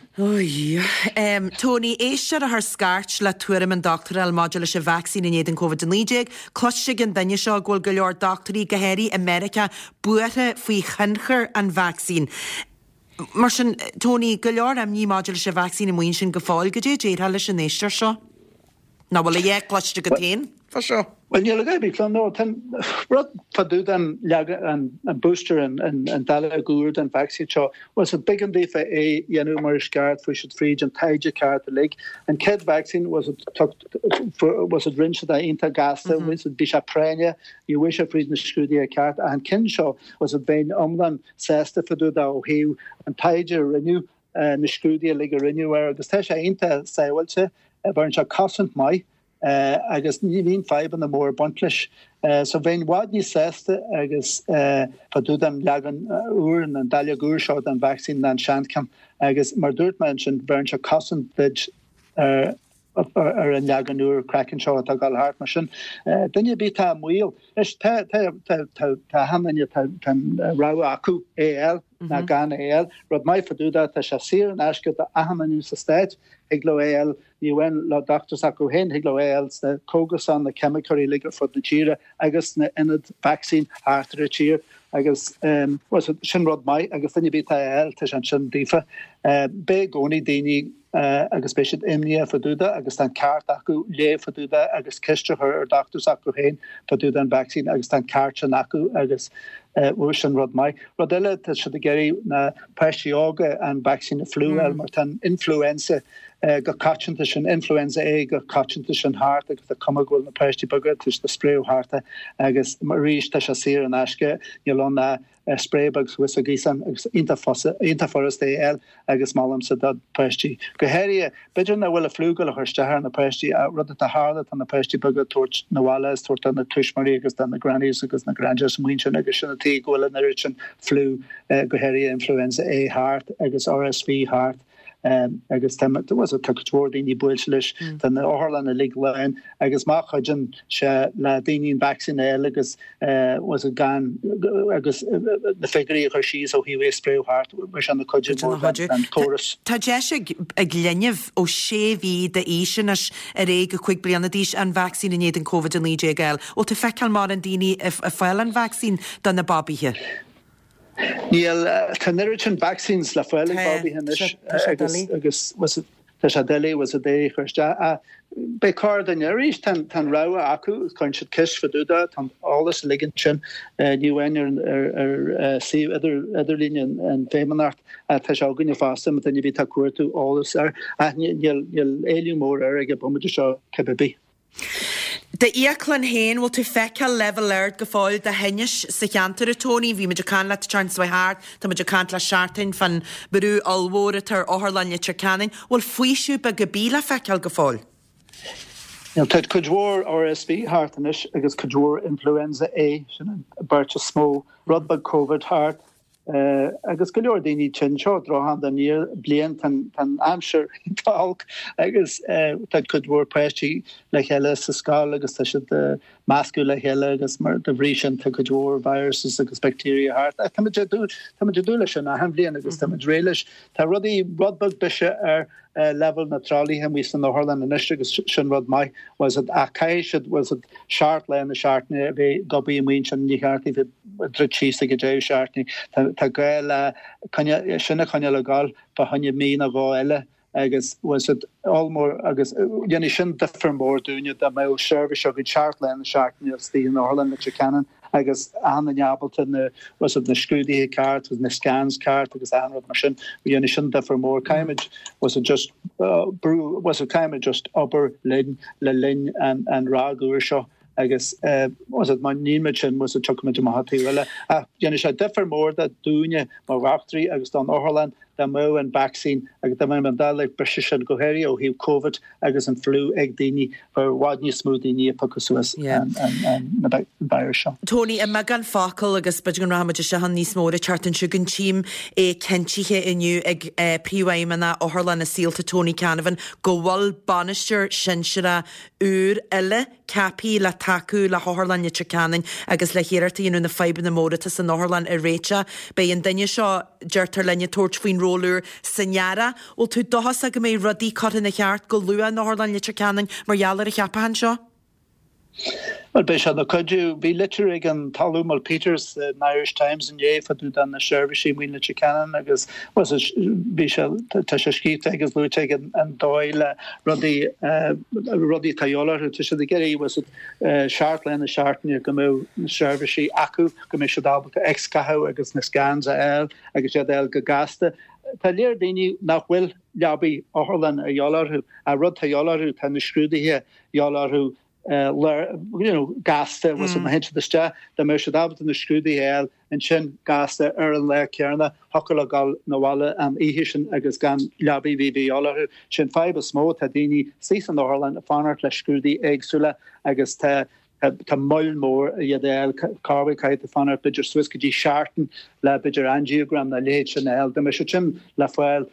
Um, Tony, éisteoir a chuir scairt le tuairim an dochtúir a fháil maidir leis an vacsaín in éadan Covid a naoi déag. Cloiste ag an duine seo go bhfuil go leor dochtúirí go háirithe i Meiriceá buartha faoi thionchar an vacsaín. Mar sin, Tony, go leor imní maidir leis an vacsaín amuigh ansin go fóill goidé a déarfá leis an éisteoir seo. Ná bhfuil a dhath cloiste agat féin fá seo? Well níl a bhí no rud fá dtaobh den leagan an an booster an an an dáileog úr den vacsaín seo was it b'éigean daofa é a dhéanamh mar is ceart fuair siad fríd an taighde ceart uilig. An chéad vacsaín was it was it rinne siad é iontach gasta was it bhí sé práinne ní bhfuair sé fríd na scrúduithe ceart ach an ceann seo was it bheinn iomlán sásta fá dtaobh de ó thaobh an taighde a rinneadh na scrúduithe uilig a rinneadh air agus tá sé iontach sábháilte bheireann sé cosaint maith agus ní bhíonn fadhbanna mór ag baint leis. So bheinn i bhfad níos sásta agus fá dtaobh den leagan úr an dáileog úr seo den vacsaín ná an seancheann agus mar dúirt mé ansin bheireann sé cosaint duit ar ar an leagan úr Kraken seo atá ag gabháil thart mar sin. Duine ar bith atá i mbaol, anois tá tá tá tá tá achan duine tá tá an rogha acu é a fháil ná gan é a fháil. Rud maith fá dtaobh de tá sé saor in aisce do achan duine sa stát, thig leo é a fháil ní amháin le dochtúir s'acu féin, thig leo é a fháil sna cógaslanna, na ceimiceoirí uilig ar fud na tíre agus sna ionaid vacsaín thart ar an tír agus bhuel sin rud maith agus duine ar bith atá é a fháil tá sé ansin daofa. Beidh i gcónaí daoine agus beidh siad imníoch fá dtaobh de agus tá an ceart acu léamh fá dtaobh de agus ceist a chur ar dochtúir s'acu féin fá dtaobh den vacsaín agus tá an ceart sin acu agus bhuel sin rud maith. Rud eile tá siad ag iarraidh na páistí óga an vacsaín fliú a fháil mar tá an influenza go coitianta sin influenza A go coitianta sin thart agus tá cuma go bhfuil na páistí beaga tá siad ag spréadh thart agus arís tá sé saor in aisce níl ann ach spré beag suas sa ghaosán agus iontach iontach furasta é a fháil agus molaimse do pháistí. Go háirithe, b'fhéidir nach bhfuil an fliú ag gabháil a chur isteach ar na páistí ach rud atá tharla tá na páistí beaga ag tabhairt 'na bhaile is tabhairt do na tuismitheoirí agus do na grannies agus na granddads amuigh ansin agus sin an tuige go bhfuil an oiread sin fliú go háirithe influenza A thart agus RSV thart. agus tá tá cuid mhór daoine buailte leis tá na otharlanna uilig lán agus má chuidíonn sé le daoine an vacsaín a fháil agus was it gan agus na figiúirí a chur síos ó thaobh é a spréadh thart mar sin na cuid mhór den chóras. Tá deis ag ag linbh ó sé mhí d'aois anois ar aghaidh go cúig bliana d'aois an vacsaín in éadan Covid a naoi déag a fháil. Bhfuil tú ag feiceáil mórán daoine ag fáil an vacsaín do na babaithe? Níl tá an oiread sin vaccines le fáil ag babaithe anois agus agus was it tá sé doiligh was it é a chur isteach. Beidh cor duine arís tá an rogha acu cuireann siad ceist fá dtaobh de tá an eolas uilig ansin ní amháin ar ar suíomh idir idirlín an an Feidhmeannacht tá sé againne fosta má duine ar bith atá ag cuartú eolas air ach níl níl éileamh mór air ag an bomaite seo cibé bith. D'fhiaclann féin, bhfuil tú ag feiceáil leibhéal ard go fóill de thinnis sa cheantar, a Tony? Bhí muid ag caint leat an tseachtain seo thart, tá muid ag caint le seachtain fán brú ollmhór atá ar Otharlann Leitir Ceanainn. Bhfuil faoiseamh beag ar bith le feiceáil go fóill? Níl, tá cuid mhór RSV thart anois agus cuid mhór influenza A, sin an bheirt is mó, rud beag Covid thart. Agus go leor daoine tinn, seo droch-am den bhliain, tá an aimsir iontach olc agus tá cuid mhór páistí le chéile sa scoil agus tá siad ag meascadh le chéile agus mar de bhrí sin tá cuid mhór viruses agus bacteria thart. Ach táimid ag dúil, táimid ag dúil leis sin achan bhliain agus táimid réidh leis. Tá rudaí, rud beag biseach ar leibhéal na tralaithe amuigh san otharlann anois agus sin rud maith was it ach caithfidh siad was it seacht lá na seachtaine a bheith ag obair amuigh ansin ní cheart iad bheith ag druid síos ag an deireadh seachtaine tá tá gá le coinne sin a choinneáil ag gabháil fá choinne mí nó dhó eile agus was it ollmhór agus dhéanfaidh sin difear mór dúinne dá mbeadh seirbhís againn seacht lá na seachtaine istigh in Otharlann Leitir Ceanainn agus achan duine ábalta na was it na scrúduithe ceart agus na scans ceart agus achan rud mar sin dhéanfaidh sin difear mór caithfimid was it just uh, brú was it caithfimid just obair linn le linn an an ráig úr seo agus uh, was it má nímid sin was it tiocfaimid amach an taobh eile ach dhéanfaidh sé difear mór do dúinne mar dhochtúirí agus don otharlann dá mbeadh an vacsaín agus dá mbeadh an dá le briseadh sin go háirithe ó thaobh Covid agus an fliú ag daoine bheadh i bhfad níos mó daoine ag piocadh suas an virus seo. Tony, i mbeagán focal agus b'fhéidir go rachaimid isteach ann níos mó an tseachtain seo chugainn tchím é cinntithe inniu ag Príomhfheidhmeannach Otharlann na Saolta Tony Canavan go bhfuil bainisteoir sinsearach úr eile ceaptha le tacú le hOtharlann Leitir Ceanainn agus le hiarracht a dhéanamh na fadhbanna móra atá san otharlann a réiteach. Beidh an duine seo, deirtear linn, ag tabhairt faoin ról úr san earrach. Bhfuil tú dóchasach go mbeidh rudaí curtha ina cheart go luath in Otharlann Leitir Ceanainn mar gheall ar an cheapachán seo? Bhuel, beidh sé ina chuidiú. Bhí litir ag an tOllamh Mal Peters san Irish Times inné fá dtaobh de na seirbhísí amuigh in Leitir Ceanainn agus bhí sé, tá sé scríofa agus luaite aige an dóigh le rudaí, rudaí atá de dhíobháil orthu. Tá siad ag iarraidh was it seacht lá na seachtaine go mbeadh na seirbhísí acu, go mbeidh siad ábalta X-ghathú agus na scans a fháil agus iad a fháil go gasta. Tá léir daoine nach bhfuil leabaí otharlann a dhíobháil orthu. An rud atá de dhíobháil orthu, tá na scrúduithe de dhíobháil orthu you know, gasta was má théann siad isteach, dá mbeadh siad ábalta na scrúduithe a fháil ansin gasta ar an lá céanna, thiocfadh leo dul 'na bhaile an oíche sin agus gan leabaí a bheith de dhíobháil orthu. Sin fadhb is mó, tá daoine istigh san otharlann ag fanacht le scrúduithe éagsúla agus tá tá moill mór iad a fháil, corruair caithfidh tú fanacht b'fhéidir suas go dtí seachtain le b'fhéidir angiogram nó a leithéid sin a fháil. Dá mbeadh siad sin le fáil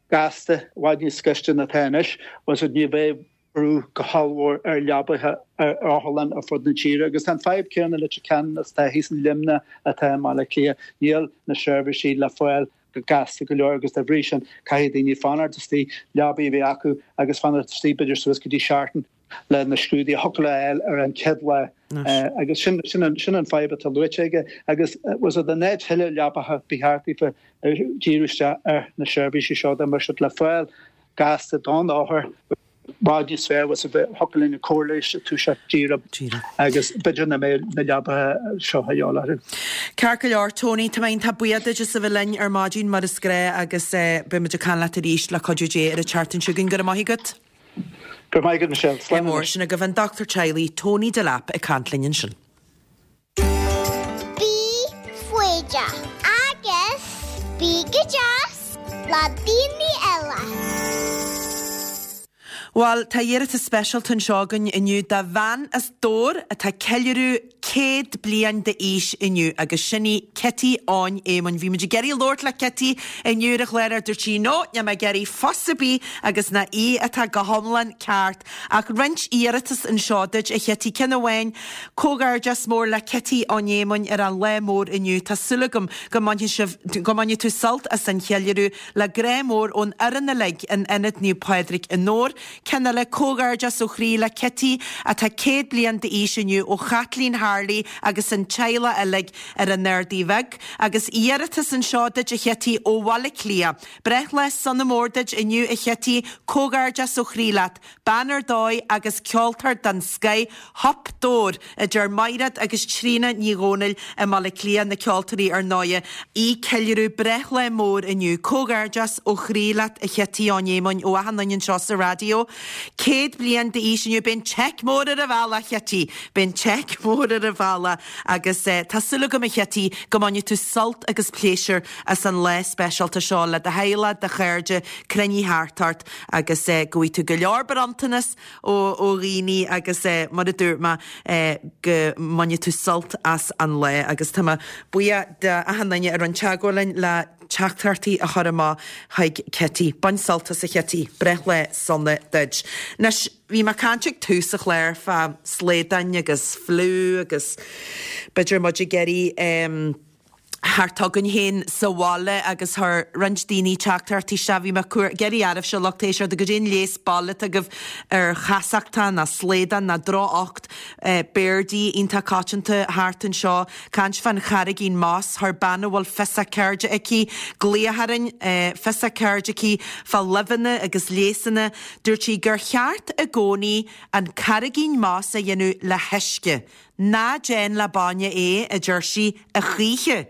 gasta, i bhfad níos gaiste ná atá anois, was it ní bheadh brú go hallmhór ar leabaithe ar otharlann ar fud na tíre agus an fadhb céanna le can atá thíos in Luimneach atá i mBaile Átha Cliath níl na seirbhísí le fáil go gasta go leor agus dá bhrí sin caithfidh daoine fanacht istigh leabaí a bheith acu agus fanacht istigh b'fhéidir suas go dtí seachtain le na scrúduithe a thiocfadh le fháil ar an chéad lá agus sin sin an sin an fadhb atá luaite aige agus was it an net thuile leabaithe ba cheart daofa díriú isteach ar na seirbhísí seo dá mbeadh siad le fáil gasta don othar bhfad níos fearr was a bheith thiocfadh linn na córais a toiseacht díreach agus b'fhéidir nach mbeadh na leabaithe seo a dhíobháil orthu. Ceart go leor, Tony, tá mé iontach buíoch duit as a bheith linn ar maidin mar is gnách agus beidh muid ag caint leat arís le cuidiú Dé ar an tseachtain seo chugainn. Go raibh maith agat. Go raibh maith agat, Michelle. Slán mór. Sin agaibh an dochtúir teaghlaigh Tony Delap ag caint linn ansin. Bí foighdeach agus bí go deas le daoine eile. Bhuel, tá iarratas speisialta anseo againn inniu do bhean as Dobhar atá ceiliúradh céad bliain d'aois inniu agus sin í Kitty Eoin Éamoinn. Bhí muid ag iarraidh labhairt le Kitty inniu ar an chlár ach dúirt sí no, níl mé ag iarraidh fuss ar bith agus ná í atá go hiomlán ceart. Ach roinnt iarratas anseo duit a Chití ceann amháin comhghairdeas mór le Kitty Eoin Éamoinn ar an lá mór inniu. Tá súil agam go mbainfidh sibh go mbainfidh tú sult as an cheiliúradh le grá mór ón fhoireann uilig in Ionad Naomh Pádraig i nDobhar. Ceann eile comhghairdeas ó chroí le Kitty atá céad bliain d'aois inniu ó Chaitlín Harley agus an teaghlach uilig ar an Ardaí Bheag, agus iarratas anseo duit a Chití ó Bhaile Átha Cliath. Breithlá sona mór duit inniu a Chití, comhghairdeas ó chroí leat, bean ar dóigh agus ceoltóir den scoth Hup Dobhar a deir Maighread agus Tríona Ní Dhomhnaill i mBaile Átha Cliath na ceoltóirí ar ndóigh ag ceiliúradh breithlá mór inniu. Comhghairdeas ó chroí leat a Chití Eoin Éamoinn ó achan duine anseo sa raidió. Céad bliain d'aois inniu beidh an seic mór ar an bhealach Chití, Beidh an seic mór ar an bhealach agus eh, tá súil agam a Chití go mbainfidh tú sult agus pléisiúr as an lá speisialta seo le do theaghlach do chairde cruinnithe thart ort agus eh, go bhfaighidh tú go leor bronntanas ó ó dhaoine agus eh, mar a dúirt mé eh, go mbainfidh tú sult as an lá agus tá mé buíoch de achan duine a rinne teagmháil linn le teachtaireachtaí a chur amach chuig Kitty. Bain sult as a Chití, breithlá sona duit. Anois bhí mé ag caint ag tús an chláir fá shlaodáin agus fliú agus b'fhéidir muid ag iarraidh um, thart againn féin sa bhaile agus chuir roinnt daoine teachtaireachtaí isteach bhí mé ag iarraidh oraibhse lucht éisteachta goidé an leigheas baile atá agaibh ar chasachtán ná slaghdán ná droch-ucht eh, b'fhéidir iontach coitianta thart anseo caint fán charraigín moss chuir bean a bhfuil fios a ceirde aici glaoch orainn eh, fios a ceirde aici fá luibheanna agus leigheasanna dúirt sí gur cheart i gcónaí an carraigín moss a dhéanamh le huisce. Ná déan le bainne é a deir sí a choíche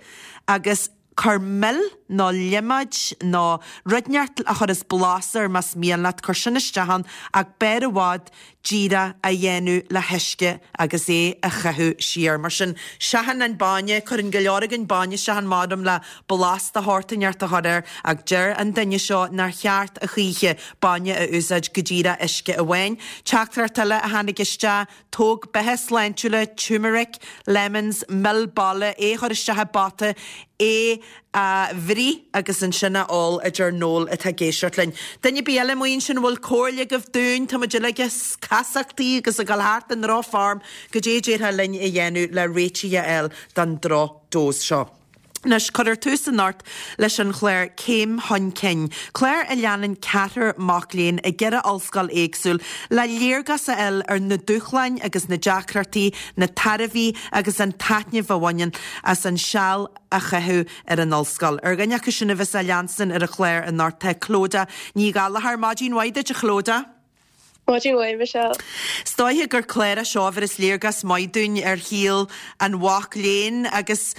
agus cuir mil nó líomóid nó rud inteacht a chuireas blas air más mian leat cur sin isteach ann ach b'fhearr i bhfad díreach a dhéanamh le huisce agus é a chaitheamh siar. Mar sin seachain an bainne cuireann go leor againn bainne isteach ann maram le blas de shórt inteacht a chur air ach deir an duine seo nár cheart a choíche bainne a úsáid go díreach uisce amháin. Teachtaireacht eile a tháinig isteach tóg beatha sláintiúla, turmeric, lemons, mil baile é chur isteach i bpota é a bhruith agus ansin a ól a deir Noel atá ag éisteacht linn. Duine ar bith eile amuigh ansin bhfuil comhairle agaibh dúinn tá muid uilig ag casachtaí agus ag dul thart i ndrochfhorm goidé a déarfá linn a dhéanamh le réiteach a fháil don drochdose seo. Anois cuirfear tús anocht leis an chlár Céim Chun Cinn. Clár a leanann ceathrar mac léinn i gceithre ollscoil éagsúil le léargas a fháil ar na dúshláin agus na deacrachtaí, na tairbhí agus an taitneamh a bhaineann as an seal a chaitheamh ar an ollscoil. Ar dhuine acu sin a bheas á leanstan ar an chlár anocht tá Clodagh Ní Ghallchóir maidin mhaith duit a Chlodagh. Maidin mhaith Michelle. Is dóiche gur clár é seo a bheireas léargas maith dúinn ar shaol an mhac léinn agus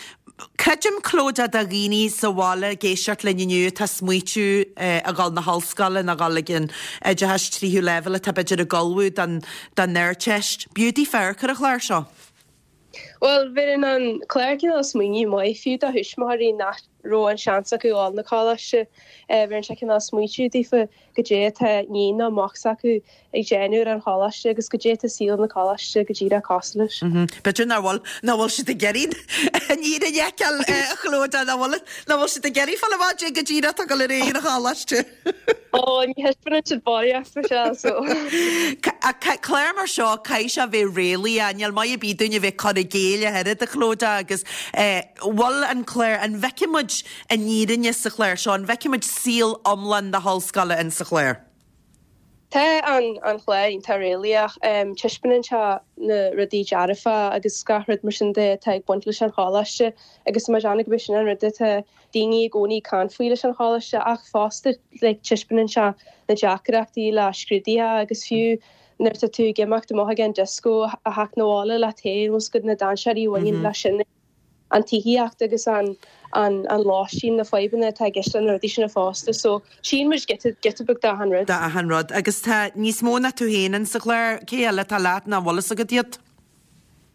Creidim Clodagh do dhaoine sa bhaile ag éisteacht linn inniu atá ag smaoitiú a dhul na hollscoile nó dhul ag an oideachas tríú leibhéal atá b'fhéidir ag ullmhú don don Ardteist. B'fhiú daofa amharc ar an chlár seo. Well, bheireann an clár cineál smaoineamh maith fiú do thuismitheoirí nach raibh an seans acu dul na coláiste, bheireann sé cineál smaoitiú daofa goidé atá iníon nó mac s'acu ag déanamh ar an choláiste agus goidé atá saol na coláiste go díreach cosúil leis. B'fhéidir nach bhfuil nach bhfuil siad ag iarraidh an fhírinne a fheiceáil a Chlodagh, nach bhfuil nach bhfuil siad ag iarraidh fáil amach goidé go díreach atá ag dul ar aghaidh ar an choláiste. Ó, ní thaispeánann siad barraíocht Michelle, so. Clár mar seo, caithfidh sé a bheith réalaíoch, níl maith ar bith dúinn a bheith cur i gcéill ach oiread a Chlodagh agus bhfuil an clár, an bhfeicfidh muid an fhírinne sa chlár seo, an bhfeicfidh muid saol iomlán na hollscoile in sa chlár? Tá an an chlár iontach réalaíoch, taispeánann sé na rudaí dearfa agus gach rud mar sin de atá ag baint leis an choláiste agus tá mé ag déanamh gurb é sin an rud atá daoine i gcónaí ag caint faoi leis an choláiste ach fosta like taispeánann sé na deacrachtaí le scrúduithe agus fiú nuair atá tú ag imeacht amach ag an disco a theacht 'na bhaile leat féin os go na dainséirí a bhaineann leis sin. an tithíocht agus an an an lóistín na fadhbanna atá i gceist leis na rudaí sin fosta so tchíonn muid giota giota beag d'achan rud. D'achan rud agus tá níos mó ná tú féin in sa chlár, cé eile atá leat nach bhfuil fhios agat iad?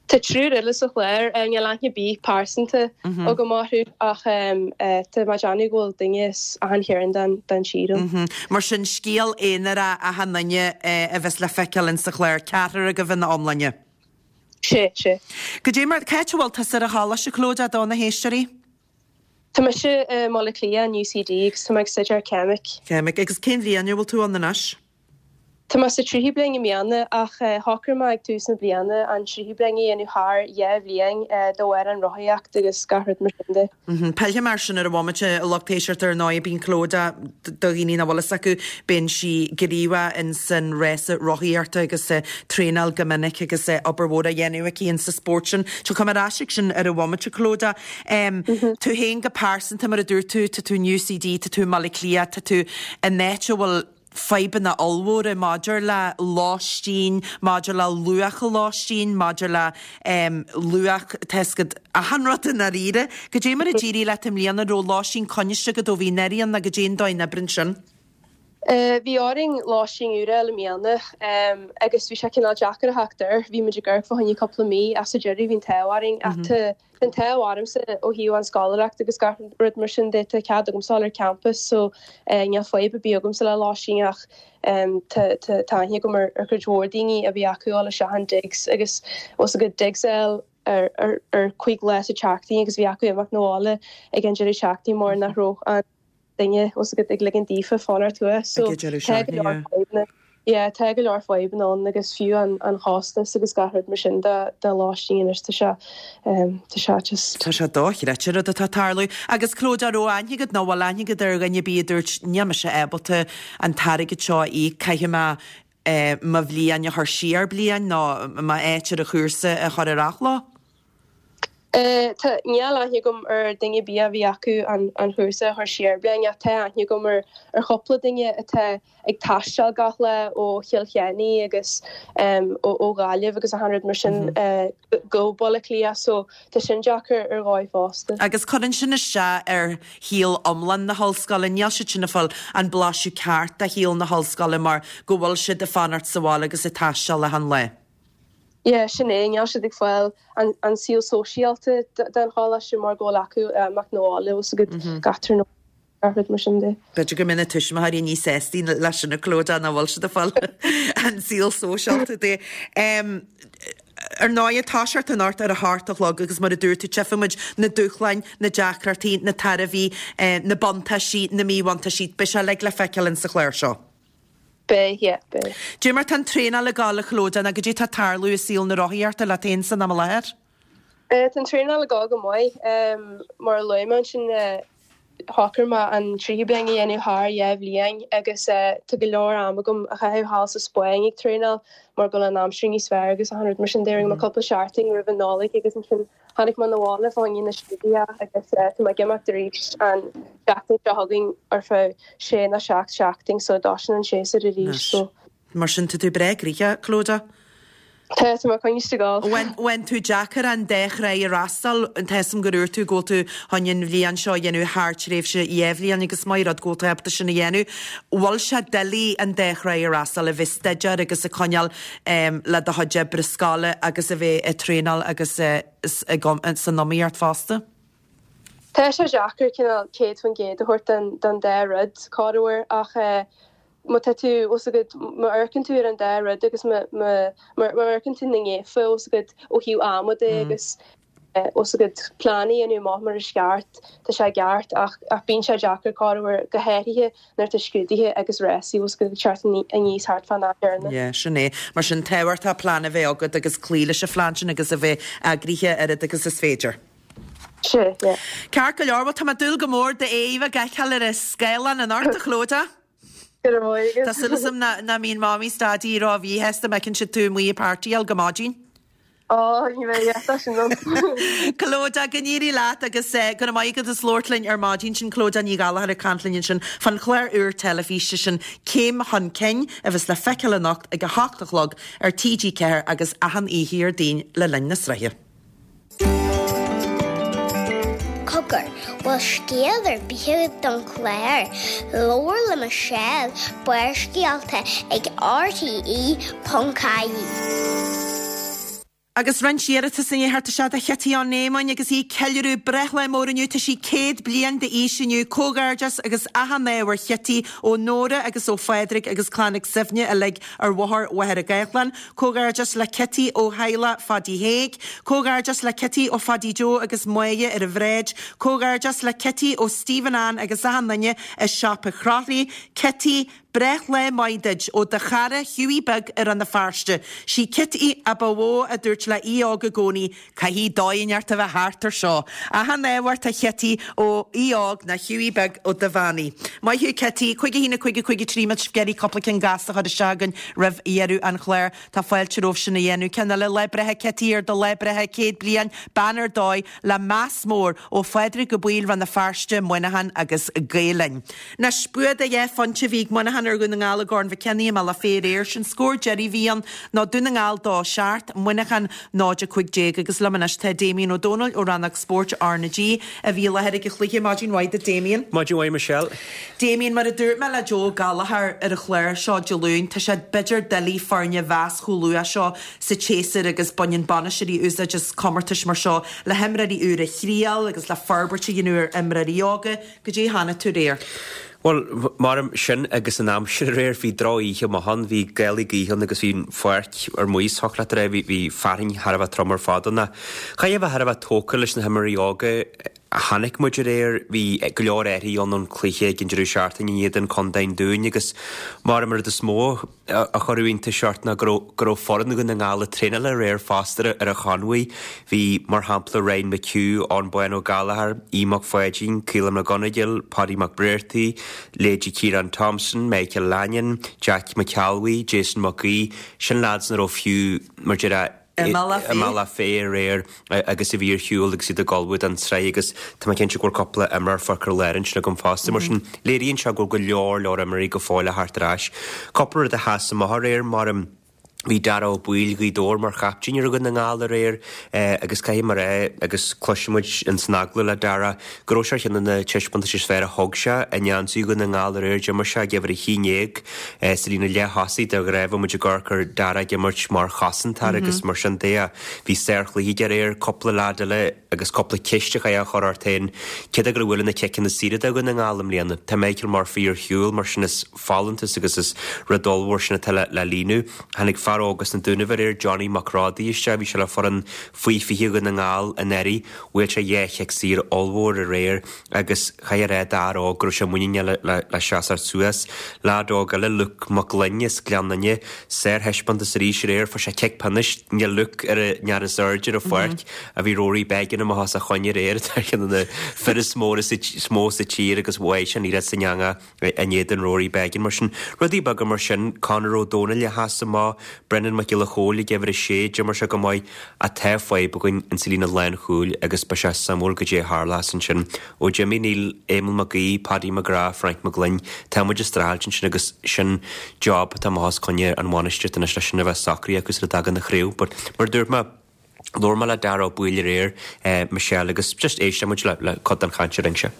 Tá triúr eile sa chlár, níl aithne ar bith pearsanta agam orthu ach tá mé ag déanamh go bhfuil duine as achan chearn den den tír ann. Mar sin scéal aonarach achan duine a bheas le feiceáil in sa chlár, ceathrar agaibh ina iomláine. Sé, sé. Goidé mar, cá háit a bhfuil tusa ar an choláiste, Clodagh, do na héisteoirí? Tá mise i mBaile Átha Cliath in UCD agus tá mé ag staidéar ceimic. Ceimic. Agus cén bhliain a bhfuil tú ann anois? Tá mé sa tríú bliain i mbliana ach shocraigh mé ag tús na bliana an tríú bliain a dhéanamh thar dhá bhliain de bharr an rothaíocht agus gach rud mar sin de. Pillfidh mé air sin ar an bhomaite, a lucht éisteachta ar ndóigh bíonn Clodagh do dhaoine nach bhfuil fhios acu, bíonn sí gníomhach in san rása rothaíochta agus traenáil go minic agus obair mhór á dhéanamh aici in sa spórt sin. Tiocfaidh mé ar ais ag sin ar an bhomaite, Clodagh. Tú féin go pearsanta mar a dúirt tú, tá tú in UCD, tá tú i mBaile Átha Cliath, tá tú in áit a bhfuil fadhbanna ollmhóra maidir le lóistín, maidir le luach an lóistín, maidir le luach tá fhios agat achan rud i ndáiríre. Goidé mar a d'éirigh leat i mbliana, an raibh lóistín coinniste agat ó bhí anuraidh ann nó goidé an dóigh a n-oibríonn sin? Bhí orainn lóistín úr a fháil i mbliana agus bhí sé cineál deacair a theacht air. Bhí muid ag amharc fá choinne cúpla mí ach sa deireadh bhí an t-ádh orainn ach tá an t-ádh ormsa ó thaobh an scoláireacht agus gach rud mar sin de tá cead agamsa dul ar campus so níl fadhb ar bith agamsa le lóistín ach tá tá aithne agam ar ar chuid mhór daoine a bhí acu dul isteach in digs agus os a gcuid digs a fháil ar ar ar cúig lá sa tseachtain agus bhí acu imeacht 'na bhaile ag an deireadh seachtaine mar nach raibh an duine os a ag ligean daofa fanacht thuas so tá go leor fadhbanna yeah tá go leor fadhbanna ann agus fiú an an chostas agus gach rud mar sin de de lóistín anois tá sé tá sé just Tá sé dochreidte rud atá tarlú agus Clodagh raibh aithne agat nó bhfuil aithne agat ar dhuine ar bith a dúirt níl mise ábalta an t-airgead seo a íoc caithfidh mé mo bhliain a chur siar bliain nó m'áit ar an chúrsa a chur ar athló? Tá níl aithne agam ar duine ar bith a bhí acu an an chúrsa a chur siar bliain ach tá aithne agam ar ar chúpla duine atá ag taisteal gach lá ó Chill Chainnigh agus um, ó, ó Ghaillimh agus achan rud mar sin uh, go Baile Átha Cliath so tá sin deacair ar dhóigh fosta. Agus cuireann sin isteach ar shaol iomlán na hollscoile, níl siad sin ag fáil an blaiseadh ceart de shaol na hollscoile mar go bhfuil siad ag fanacht sa bhaile agus ag taisteal achan lá. Yeah, sin é níl siad ag fáil an, an saol sóisialta den choláiste mar go bhfuil acu imeacht 'na bhaile os a gcuid gach tráthnóna gach rud mar sin de. B'fhéidir go mbeidh na tuismitheoirí níos sástaí leis sin a Clodagh nach bhfuil siad ag fáil an saol sóisialta de. Um, Ar ndóigh toiseacht anocht ar a hocht a chlog agus mar a dúirt tú tchífimid na dúshláin, na deacrachtaí, na tairbhí, eh, na buntáistí, na míbhuntáistí, beidh sé uilig le feiceáil in sa chlár seo. Beidh, yeah, beidh. Goidé mar tá an traenáil ag gabháil a Chlodagh nó goidé tá tarlú i saol na rothaíochta leat féin san am i láthair? Uh, tá an traenáil ag gabháil go maith um, mar a luaigh mé ansin uh, shocraigh mé an tríú bliain a dhéanamh thar dhá bhliain agus uh, tá go leor am agam a chaitheamh thall sa Spáinn ag traenáil mar go bhfuil an aimsir níos fearr agus achan rud mar sin d'éirigh mm. cúpla seachtain roimh an Nollaig agus ansin tháinig mé abhaile fá choinne na scrúduithe agus uh, tá mé ag imeacht arís an seachtain seo chugainn ar feadh sé nó seacht seachtain so dá sin an séasúr arís so Mar sin tá tú breá gnoitheach Clodagh? Tá tá mé coinniste ag gabháil. Bhain tú deacair an dá thráigh a fhreastal, tá a fhios agam gur dhúirt tú go bhfuil tú chun an bhliain seo a dhéanamh thar tréimhse dhá bhliain agus maith rud go bhfuil tú ábalta sin a dhéanamh. Bhfuil sé doiligh an dá thráigh a fhreastal, a bheith ag staidéar agus ag coinneáil le do chuid oibre scoile agus a bheith ag traenáil agus san iomaíocht fosta? Tá sé deacair cineál céad faoin gcéad a thabhairt don dá rud, corruair, ach má tá tú, bhfuil a fhios agat, má amharcann tú ar an dá rud agus má amharcann tú na ngéafa, bhfuil a fhios agat, ó thaobh ama de agus bhfuil a fhios agat plean a dhéanamh amach mar is ceart, tá sé ceart ach ach bíonn sé deacair corruair go háirithe nuair atá scrúduithe agus rásaí, bhfuil a fhios agat, ag teacht aníos thart fán am céanna. Yeah, sin é. Mar sin tábhachtach plean a bheith agat agus cloí leis an phlean sin agus a bheith eagraithe oiread agus is féidir. Sea, yeah. Ceart go leor, bhuel tá mé ag dúil go mór d'aghaidh a fheiceáil ar an scáileán anocht, a Chlodagh. Go raibh maith agat. Tá súil agam nach mbíonn Mamaí 's Daidí ró-mhíshásta má fheiceann siad tú amuigh ag partyáil go maidin. Ó, ní bheidh, yeah, tá sin ann. Clodagh, go n-éirí leat agus go raibh maith agat as labhairt linn ar maidin. Sin Clodagh Ní Ghallchóir ag caint linn ansin fán chlár úr teilifíse sin Céim Chun Cinn a bheas le feiceáil anocht ag a hocht a chlog ar T G ceathair agus achan oíche Dhéardaoin le linn na sraithe. Cogar, bhfuil scéal ar bith agat don chlár? Labhair le Michelle, Barrscéalta ag R T E ponc I E. Agus roinnt iarratas i ndiaidh theacht isteach do Chití Ó Néamáin agus í ag ceiliúradh breithlá mór inniu. Tá sí céad bliain d'aois inniu. Comhghairdeas agus achan ádh ar Chití ó Nóra agus ó Phádraig agus Clann Mhic Suibhne uilig ar Bhóthar Mhachaire Gathlán. Comhghairdeas le Cití ó theaghlach Phadaí Thaidhg. Comhghairdeas le Cití ó Phadaí Joe agus Máire ar an bhráid. Comhghairdeas le Cití ó Stephen Ann agus achan duine i Siopa Chroithlí. Cití, breithlá maith duit ó do chara Hughie Beag i Rann na Feirste. Sí Cití a ba mhó a dúirt le Aodh Óg i gcónaí, caithfidh dóigh inteacht a bheith thart ar seo. Achan ádh ort a Chití ó Aodh Óg ná Hughie Beag ó Duibheannaigh. Maith thú Cití, cúig a haon a cúig a cúig a trí muid ag iarraidh cúpla ceann gasta a chur isteach againn roimh dheireadh an chláir. Tá fáilte romhaibh sin a dhéanamh. Ceann eile, lá breithe Cití ar do lá breithe céad bliain, bean ar dóigh, le meas mór ó Phádraig Ó Baoill, Rann na Feirste, Muineachán agus Gael Linn. Anois, bua de dheich phointe a bhí ag Muineachán ar Dhún na nGall i gCorn Mhic Cionnaith i mBealach Féich aréir. Sin scór deiridh a bhí ann ná Dún na nGall dó seacht, Muineachán náid a cúig déag agus liom anois tá Damien Ó Dónaill ó Rannóg Spóirt R na G a bhí i láthair ag an chluiche. Maidin mhaith duit Damien. Maidin mhaith Michelle. Damien, mar a dúirt mé le Joe Gallagher ar an chlár seo Dé Luain, tá sé b'fhéidir doiligh foirne a mheas chomh luath seo sa tséasúr agus baineann bainisteoirí úsáid as comórtais mar seo le himreoirí úra a thriail agus le forbairt a dhéanamh ar imreoirí óga. Goidé a chonaic tú aréir. Bhuel, mar sin agus an aimsir aréir, bhí droch-oíche amach ann, bhí gálaí gaoithe ann agus bhí an pháirc ar maos, thiocfadh leat a rá, bhí, bhí fearthainn thar a bheith trom ar fad ann. Chaithfeá a bheith thar a bheith tógtha leis na himreoirí óga a chonaic muid aréir, bhí go leor athruithe ann ón cluiche ag an deireadh seachtaine in éadan Contae an Dúin agus mar an rud is mó a chuir iontas ort ná go raibh, go raibh foireann Dhún na nGall ag traenáil aréir fosta ar an chonbhaí. Bhí, mar shampla, Ryan McHugh, Eoin Bán Ó Gallchóir, Aodh Mac Pháidín, Caolán Mac Gonigal, Paddy Mac Bréartaigh, leithéidí Ciarán Thompson, Michael Lanyon, Jack McAlwee, Jason Mac Aoidh, sin lads nach raibh fiú, mar déarfá, I mBealach i mBealach Féich aréir agus a bhí ar shiúl agus iad ag ullmhú don tsraith agus tá mé cinnte go bhfuil cúpla imreoir fágtha ar lár ansin agam fosta. Mar sin, léiríonn sé go bhfuil go leor leor imreoirí go fóill ag theacht ar ais. Cúpla rud a sheas amach aréir mar bhí Dara Ó Baoill Ghaoth Dobhair mar chaptaen ar Dhún na nGall aréir agus caithfidh mé a rá agus cloisfidh muid in san agallamh le Dara go raibh sé ar cheann de na taispeántais is fearr a thug sé i ngeansaí Dhún na nGall aréir. D'imir sé ag uimhir a haon déag sa líne leath-thosaigh de ghnáth bheadh muid ag amharc ar Dara ag imirt mar chosantóir agus mar sin de. Bhí sárchluiche aige aréir, cúpla leaid eile agus cúpla ceist a chaithfeá a chur ort féin cé acu a bhuaileann na ciceanna saora do Dhún na nGall i mbliana. Tá Michael Murphy ar shiúl mar sin is folúntas agus is rud ollmhór sin atá le líonadh. Tháinig fear óg as na Dúnaibh aréir, Johnny Mac Rodaí isteach, bhí sé le foireann faoi fiche Dhún na nGall anuraidh, bhuail sé dhá chic saor ollmhór aréir agus chaithfeá a rá d'fhear óg go raibh sé muiníneach le le seasamh suas. Leaid óg eile, Luke Mac Gloinn as Gleann Fhinne, sárthaispeántas arís aréir, fuair sé cic pionóis, níl Luke ar an fhear is airde ar an pháirc a bhí Rory Beggan amach os a choinne aréir, atá ar cheann de na fir is mó is mó sa tír agus bhuaigh sé an liathróid san eangach in éadan Rory Beggan. Mar sin, rudaí beaga mar sin, Conor Ó Dónaill a sheas amach Brendan Mac Giolla Chóill ag uimhir a sé, d'imir sé go maith ach tá fadhb againn insa líne lánchúil agus beidh sé suimiúil goidé a tharlós ansin. Ó d'imigh Neil, Éamonn Mac Aoidh, Paddy McGrath, Frank McGlynn, tá muid ag streachailt ansin agus sin job atá amach os coinne an bhainistíocht anois leis sin a bheith socraithe acu sula dtagann an chraobh. But mar a dúirt mé, Labhair mé le Dara Ó Baoill aréir, Michelle, agus just éistfidh muid le cuid den chaint a rinne sé.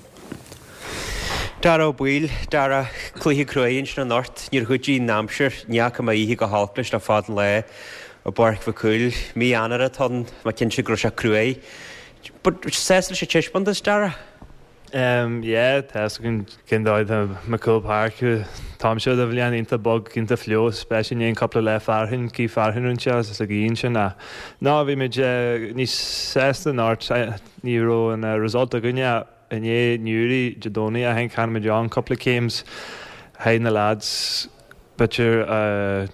Dara Ó Baoill, Dara, cluiche cruaidh ansin anocht, níor chuidigh an aimsir, ní fhaca mé oíche go holc leis le fada an lá i bPáirc Mhic Cumhaill. Mí Eanáir atá ann, tá mé cinnte go raibh sé cruaidh. But sásta leis an taispeántas, Dara? Um yeah, tá fhios againn cén dóigh atá MacCumhaill Park. Tá sé de bhliain iontach bog, iontach fliuch, especially i ndiaidh cúpla lá fearthainn, cith fearthainn rinne sé agus a gcian sin ach ná bhí muid níos sásta anocht, ní raibh an result againne i ndiaidh Newry Dé Domhnaigh, I think tháinig muid ann cúpla céims haghaidh na lads. B'fhéidir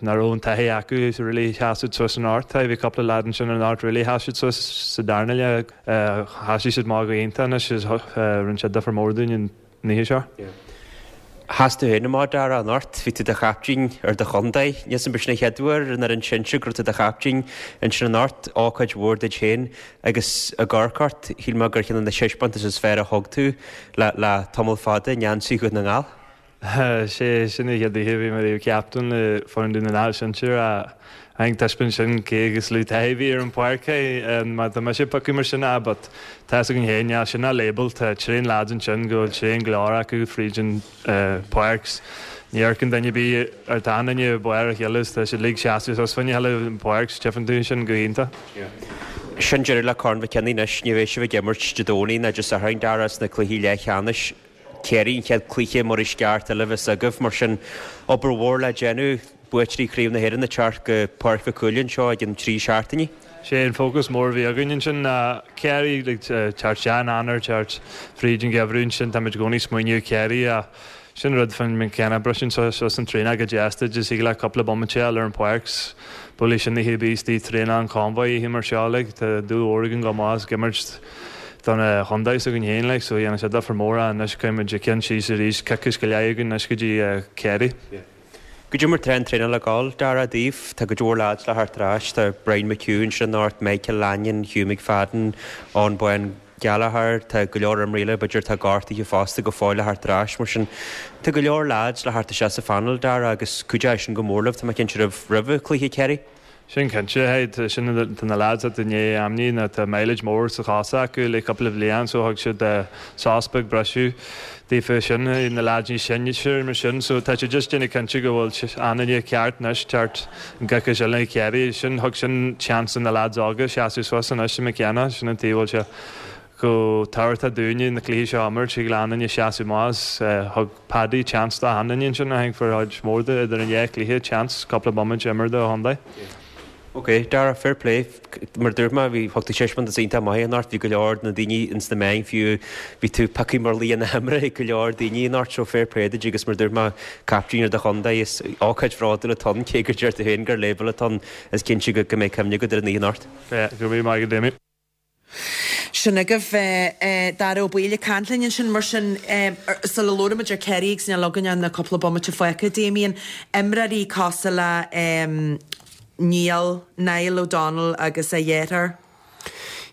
nach raibh an taithí acu so really sheas siad suas anocht. Bhí cúpla lad ansin anocht really sheas siad suas sa darna leath. Sheasaigh siad amach go hiontach anois is rinne sé difear mór dúinn an oíche seo. Sheas tú féin amach, Dara, anocht. Bhí tú i do chaiptín ar do chontae. Níl 'fhios a'm b'shin an chéad uair ar an fhoireann sinsir go raibh tú i do chaiptín ansin anocht. Ócáid mhór duit féin agus ag amharc ort, shíl mé gur cheann de na taispeántais is fearr a thug tú le le tamall fada i ngeansaí Dhún na nGall. Sé sin an chéad oíche a bhí mé riamh captain le foireann Dún na nGall sinsir ach I think taispeáin sin cé chomh lú taithí a bhí ar an pháirc é má tá mise ag piocadh mar sin ah but tá fhios againn féin níl sin ach label tá tréan lads ansin go bhfuil tréan glór acu fríd an páirc ní amharcann duine ar bith ar tá an duine barr a chéile is tá siad uilig seasamh suas fá choinne a chéile an pháirc tchíonn tú sin go hiontach. Sin deireadh le Corn Mhic Cionnaith anois ní bheidh sibh ag imirt Dé Domhnaigh ná Dé Sathairn Dara sna cluichí leathcheannais. Ciarraí an chéad cluiche Muirdheisceart eile a bheas agaibh, mar sin obair mhór le déanamh, buaiteoirí Chraobh na hÉireann ag teacht go Páirc Mhic Cumhaill anseo i gcionn trí seachtainí. Sé an fócas mór a bhí againn ansin ná Ciarraí, like teacht isteach in Eanáir, teacht fríd an gheimhreadh ansin, táimid i gcónaí ag smaoineamh Ciarraí ach sin rud faoin mcKenna briseann suas an traenáil go deas duit is thig leat cúpla bomaite a fháil ar an pháirc 's buailfidh sin na híobaí istigh traenáil an convoy oíche mar seo like tá dúil mhór againn go maith as ag imirt don chontae s'againn féin like so dhéanann sé difear mór ach anois caithfidh muid a ceann síos arís coicís go leith againn anois go dtí Ciarraí. Goidé mar tá an traenáil ag gabháil, Dara, daoibh? Tá cuid mhór lads le theacht ar ais, tá Brian McHugh ansin anocht, Michael Lanyon, Hugh McFadden, Eoin Bán Gallagher, tá go leor imreoirí eile, b'fhéidir atá gortaithe fosta go fóill le theacht ar ais, mar sin tá go leor lads le theacht isteach sa phainéal, Dara, agus cuideoidh sin go mór libh, tá mé cinnte roimh roimh chluiche Ciarraí. Sin cinnte, hey, tá sin tá na lads atá i ndiaidh ainmní nó tá mileage mór sa chos acu le cúpla bhliain so thug siad sos beag briseadh daofa sin, na lads níos sine mar sin so tá siad just déanamh cinnte go bhfuil an duine ceart anois teacht an gcoicís eile Ciarraí sin thug sin chance do na lads óga seasamh suas anois i McKenna sin an taobh bhfuil sé chomh tábhachtach dúinne na cluichí seo a imirt thig le an duine seasamh amach thug Paddy chance do achan duine ansin I think for chuid mhór de idir an dhá chluiche chance cúpla bomaite a imirt do chontae. Ok, Dara, fair play. Mar a dúirt mé, bhí, thug tú taispeántas iontach maith anocht, bhí go leor de na daoine ins na meáin fiú, bhí tú pioctha mar laoch na himeartha ag go leor daoine anocht, so fair play duit agus mar a dúirt mé, captaen ar do chontae, is ócáid bhródúil atá ann, cé gur deir tú féin gur label atá ann, is cinnte go go mbeidh cuimhne agat ar an oíche anocht. Yeah, go raibh míle maith agat Damien. Sin agaibh Dara Ó Baoill ag caint linn ansin. Mar sin, sula labhraímid ar Ciarraí agus níl againn ach na cúpla bomaite fágtha, Damien, imreoirí cosúil le Niall, Niall O'Donnell agus a dheartháir.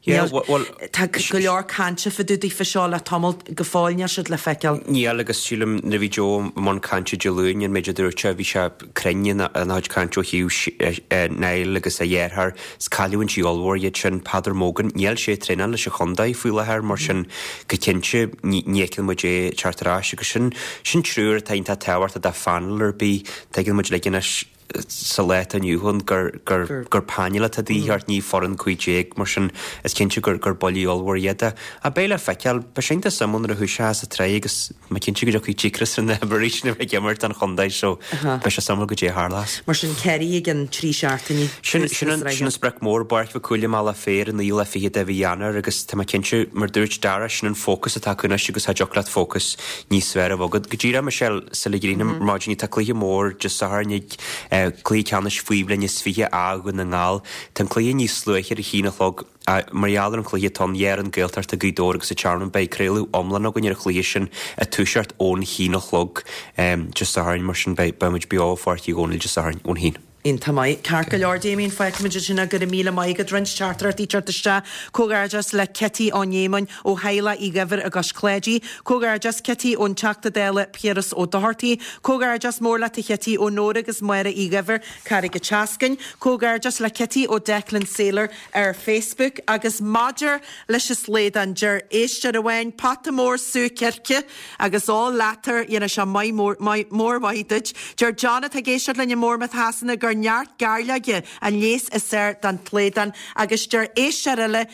Yeah, well, Tá go leor cainte fá dtaobh daofa seo le tamall go fóill níl siad le feiceáil. Níl agus sílim nuair a bhí Joe i mbun cainte Dé Luain an méid a dúirt sé bhí sé cruinn ina chuid cainte ó thaobh Niall agus a dheartháir. Is cailliúintí ollmhór iad sin. Peadar Mogan, níl sé ag traenáil leis an chontae faoi láthair mar sin go cinnte ní fheiceann muid é ag teacht ar ais agus sin sin triúr atá iontach tábhachtach do phainéal ar bith. Tuigeann muid uilig anois sa lá atá inniu ann gur gur gur painéal atá de dhíth ort, ní foireann cúig déag mar sin is cinnte gur gur buillí ollmhór iad. Ach beidh le feiceáil, beidh sé iontach suimiúil nuair a thoiseochas an tsraith agus mé cinnte go dtiocfaidh díocras ar na himreoirí sin a bheith ag imirt don chontae so beidh sé suimiúil goidé a tharlós. Mar sin Ciarraí i gcionn trí seachtainí. Sin sin an sin an sprioc mór, Páirc Mhic Cumhaill i mBealach Féich an naoú lá fichead de mhí Eanáir agus tá mé cinnte mar dúirt Dara sin an fócas atá acu anois agus cha dtiocfadh leat fócas níos fearr a bheith agat. Go díreach Michelle sula gcríochnaím ar maidin tá cluiche mór Dé Sathairn ag Cluiche ceannais faoi bhliain is fiche A Dhún na nGall. Tá an cluiche níos luaithe ar a haon a chlog. Mar gheall ar an chluiche atá ann, dhá fhoireann Gaeltachta, Gaoth Dobhair agus an Tearmann, beidh craoladh iomlán againn ar an chluiche sin ag toiseacht ón haon a chlog Dé Sathairn. Mar sin beidh muid beo i Pháirc Uí Dhónaill Dé Sathairn ón haon. Iontach maith. Ceart go leor, Damien, fágfaimid ansin é, go raibh míle maith agat. Roinnt teachtaireachtaí ag teacht isteach. Comhghairdeas le Kitty Ó Néamáin ó theaghlach Uí Dhuibhir i gCois Cláidí. Comhghairdeas Kitty ón Teachta Dála Piaras Ó Dochartaigh. Comhghairdeas mór leat a Chití ó Nóra agus Máire Uí Dhuibhir, Carraig an tSeascainn. Comhghairdeas le Kitty ó Declan Saylor ar Facebook. Agus maidir leis an slaghdán, deir éisteoir amháin, pota mór sú circe agus ól leathuair, dhéanfadh sé maith mór, maith, mór mhaith duit. Deir John atá ag éisteacht linn i mBournemouth Shasana gur neart gairleoige an leigheas is fearr don tslaghdán agus deir éisteoir eile,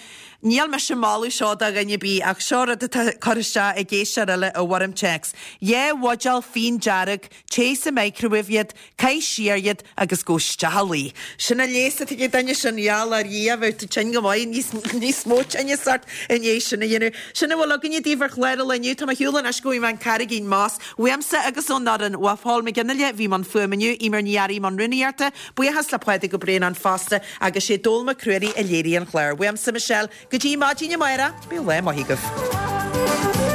Níl mise ag moladh seo do dhuine ar bith ach seo rud atá curtha isteach ag éisteoir eile i bhfoirm téacs. Dhá bhuidéal fíon dearg, téigh sa microwave iad, caith siar iad agus gabh isteach a luí. Sin an leigheas atá ag an duine sin, gheall ar Dhia, bheadh tú tinn go maith, níos, níos mó tinnis ort i ndiaidh sin a dhéanamh. Sin a bhfuil againne daoibh ar chlár an lae inniu. Tá mé ar shiúl anois go bhfaighidh mé an Carraigín Moss. Uaimse agus ón fhoireann, ó Paul McGinley a bhí i mbun fuaime inniu, Eimear Ní Fhearraigh i mbun rúnaíochta, buíochas le Pádraig Ó Braonáin fosta agus sé Dónall Mac Ruairí a léirigh an clár. Uaimse, Michelle, go dtí maidin amárach, bíodh lá maith agaibh.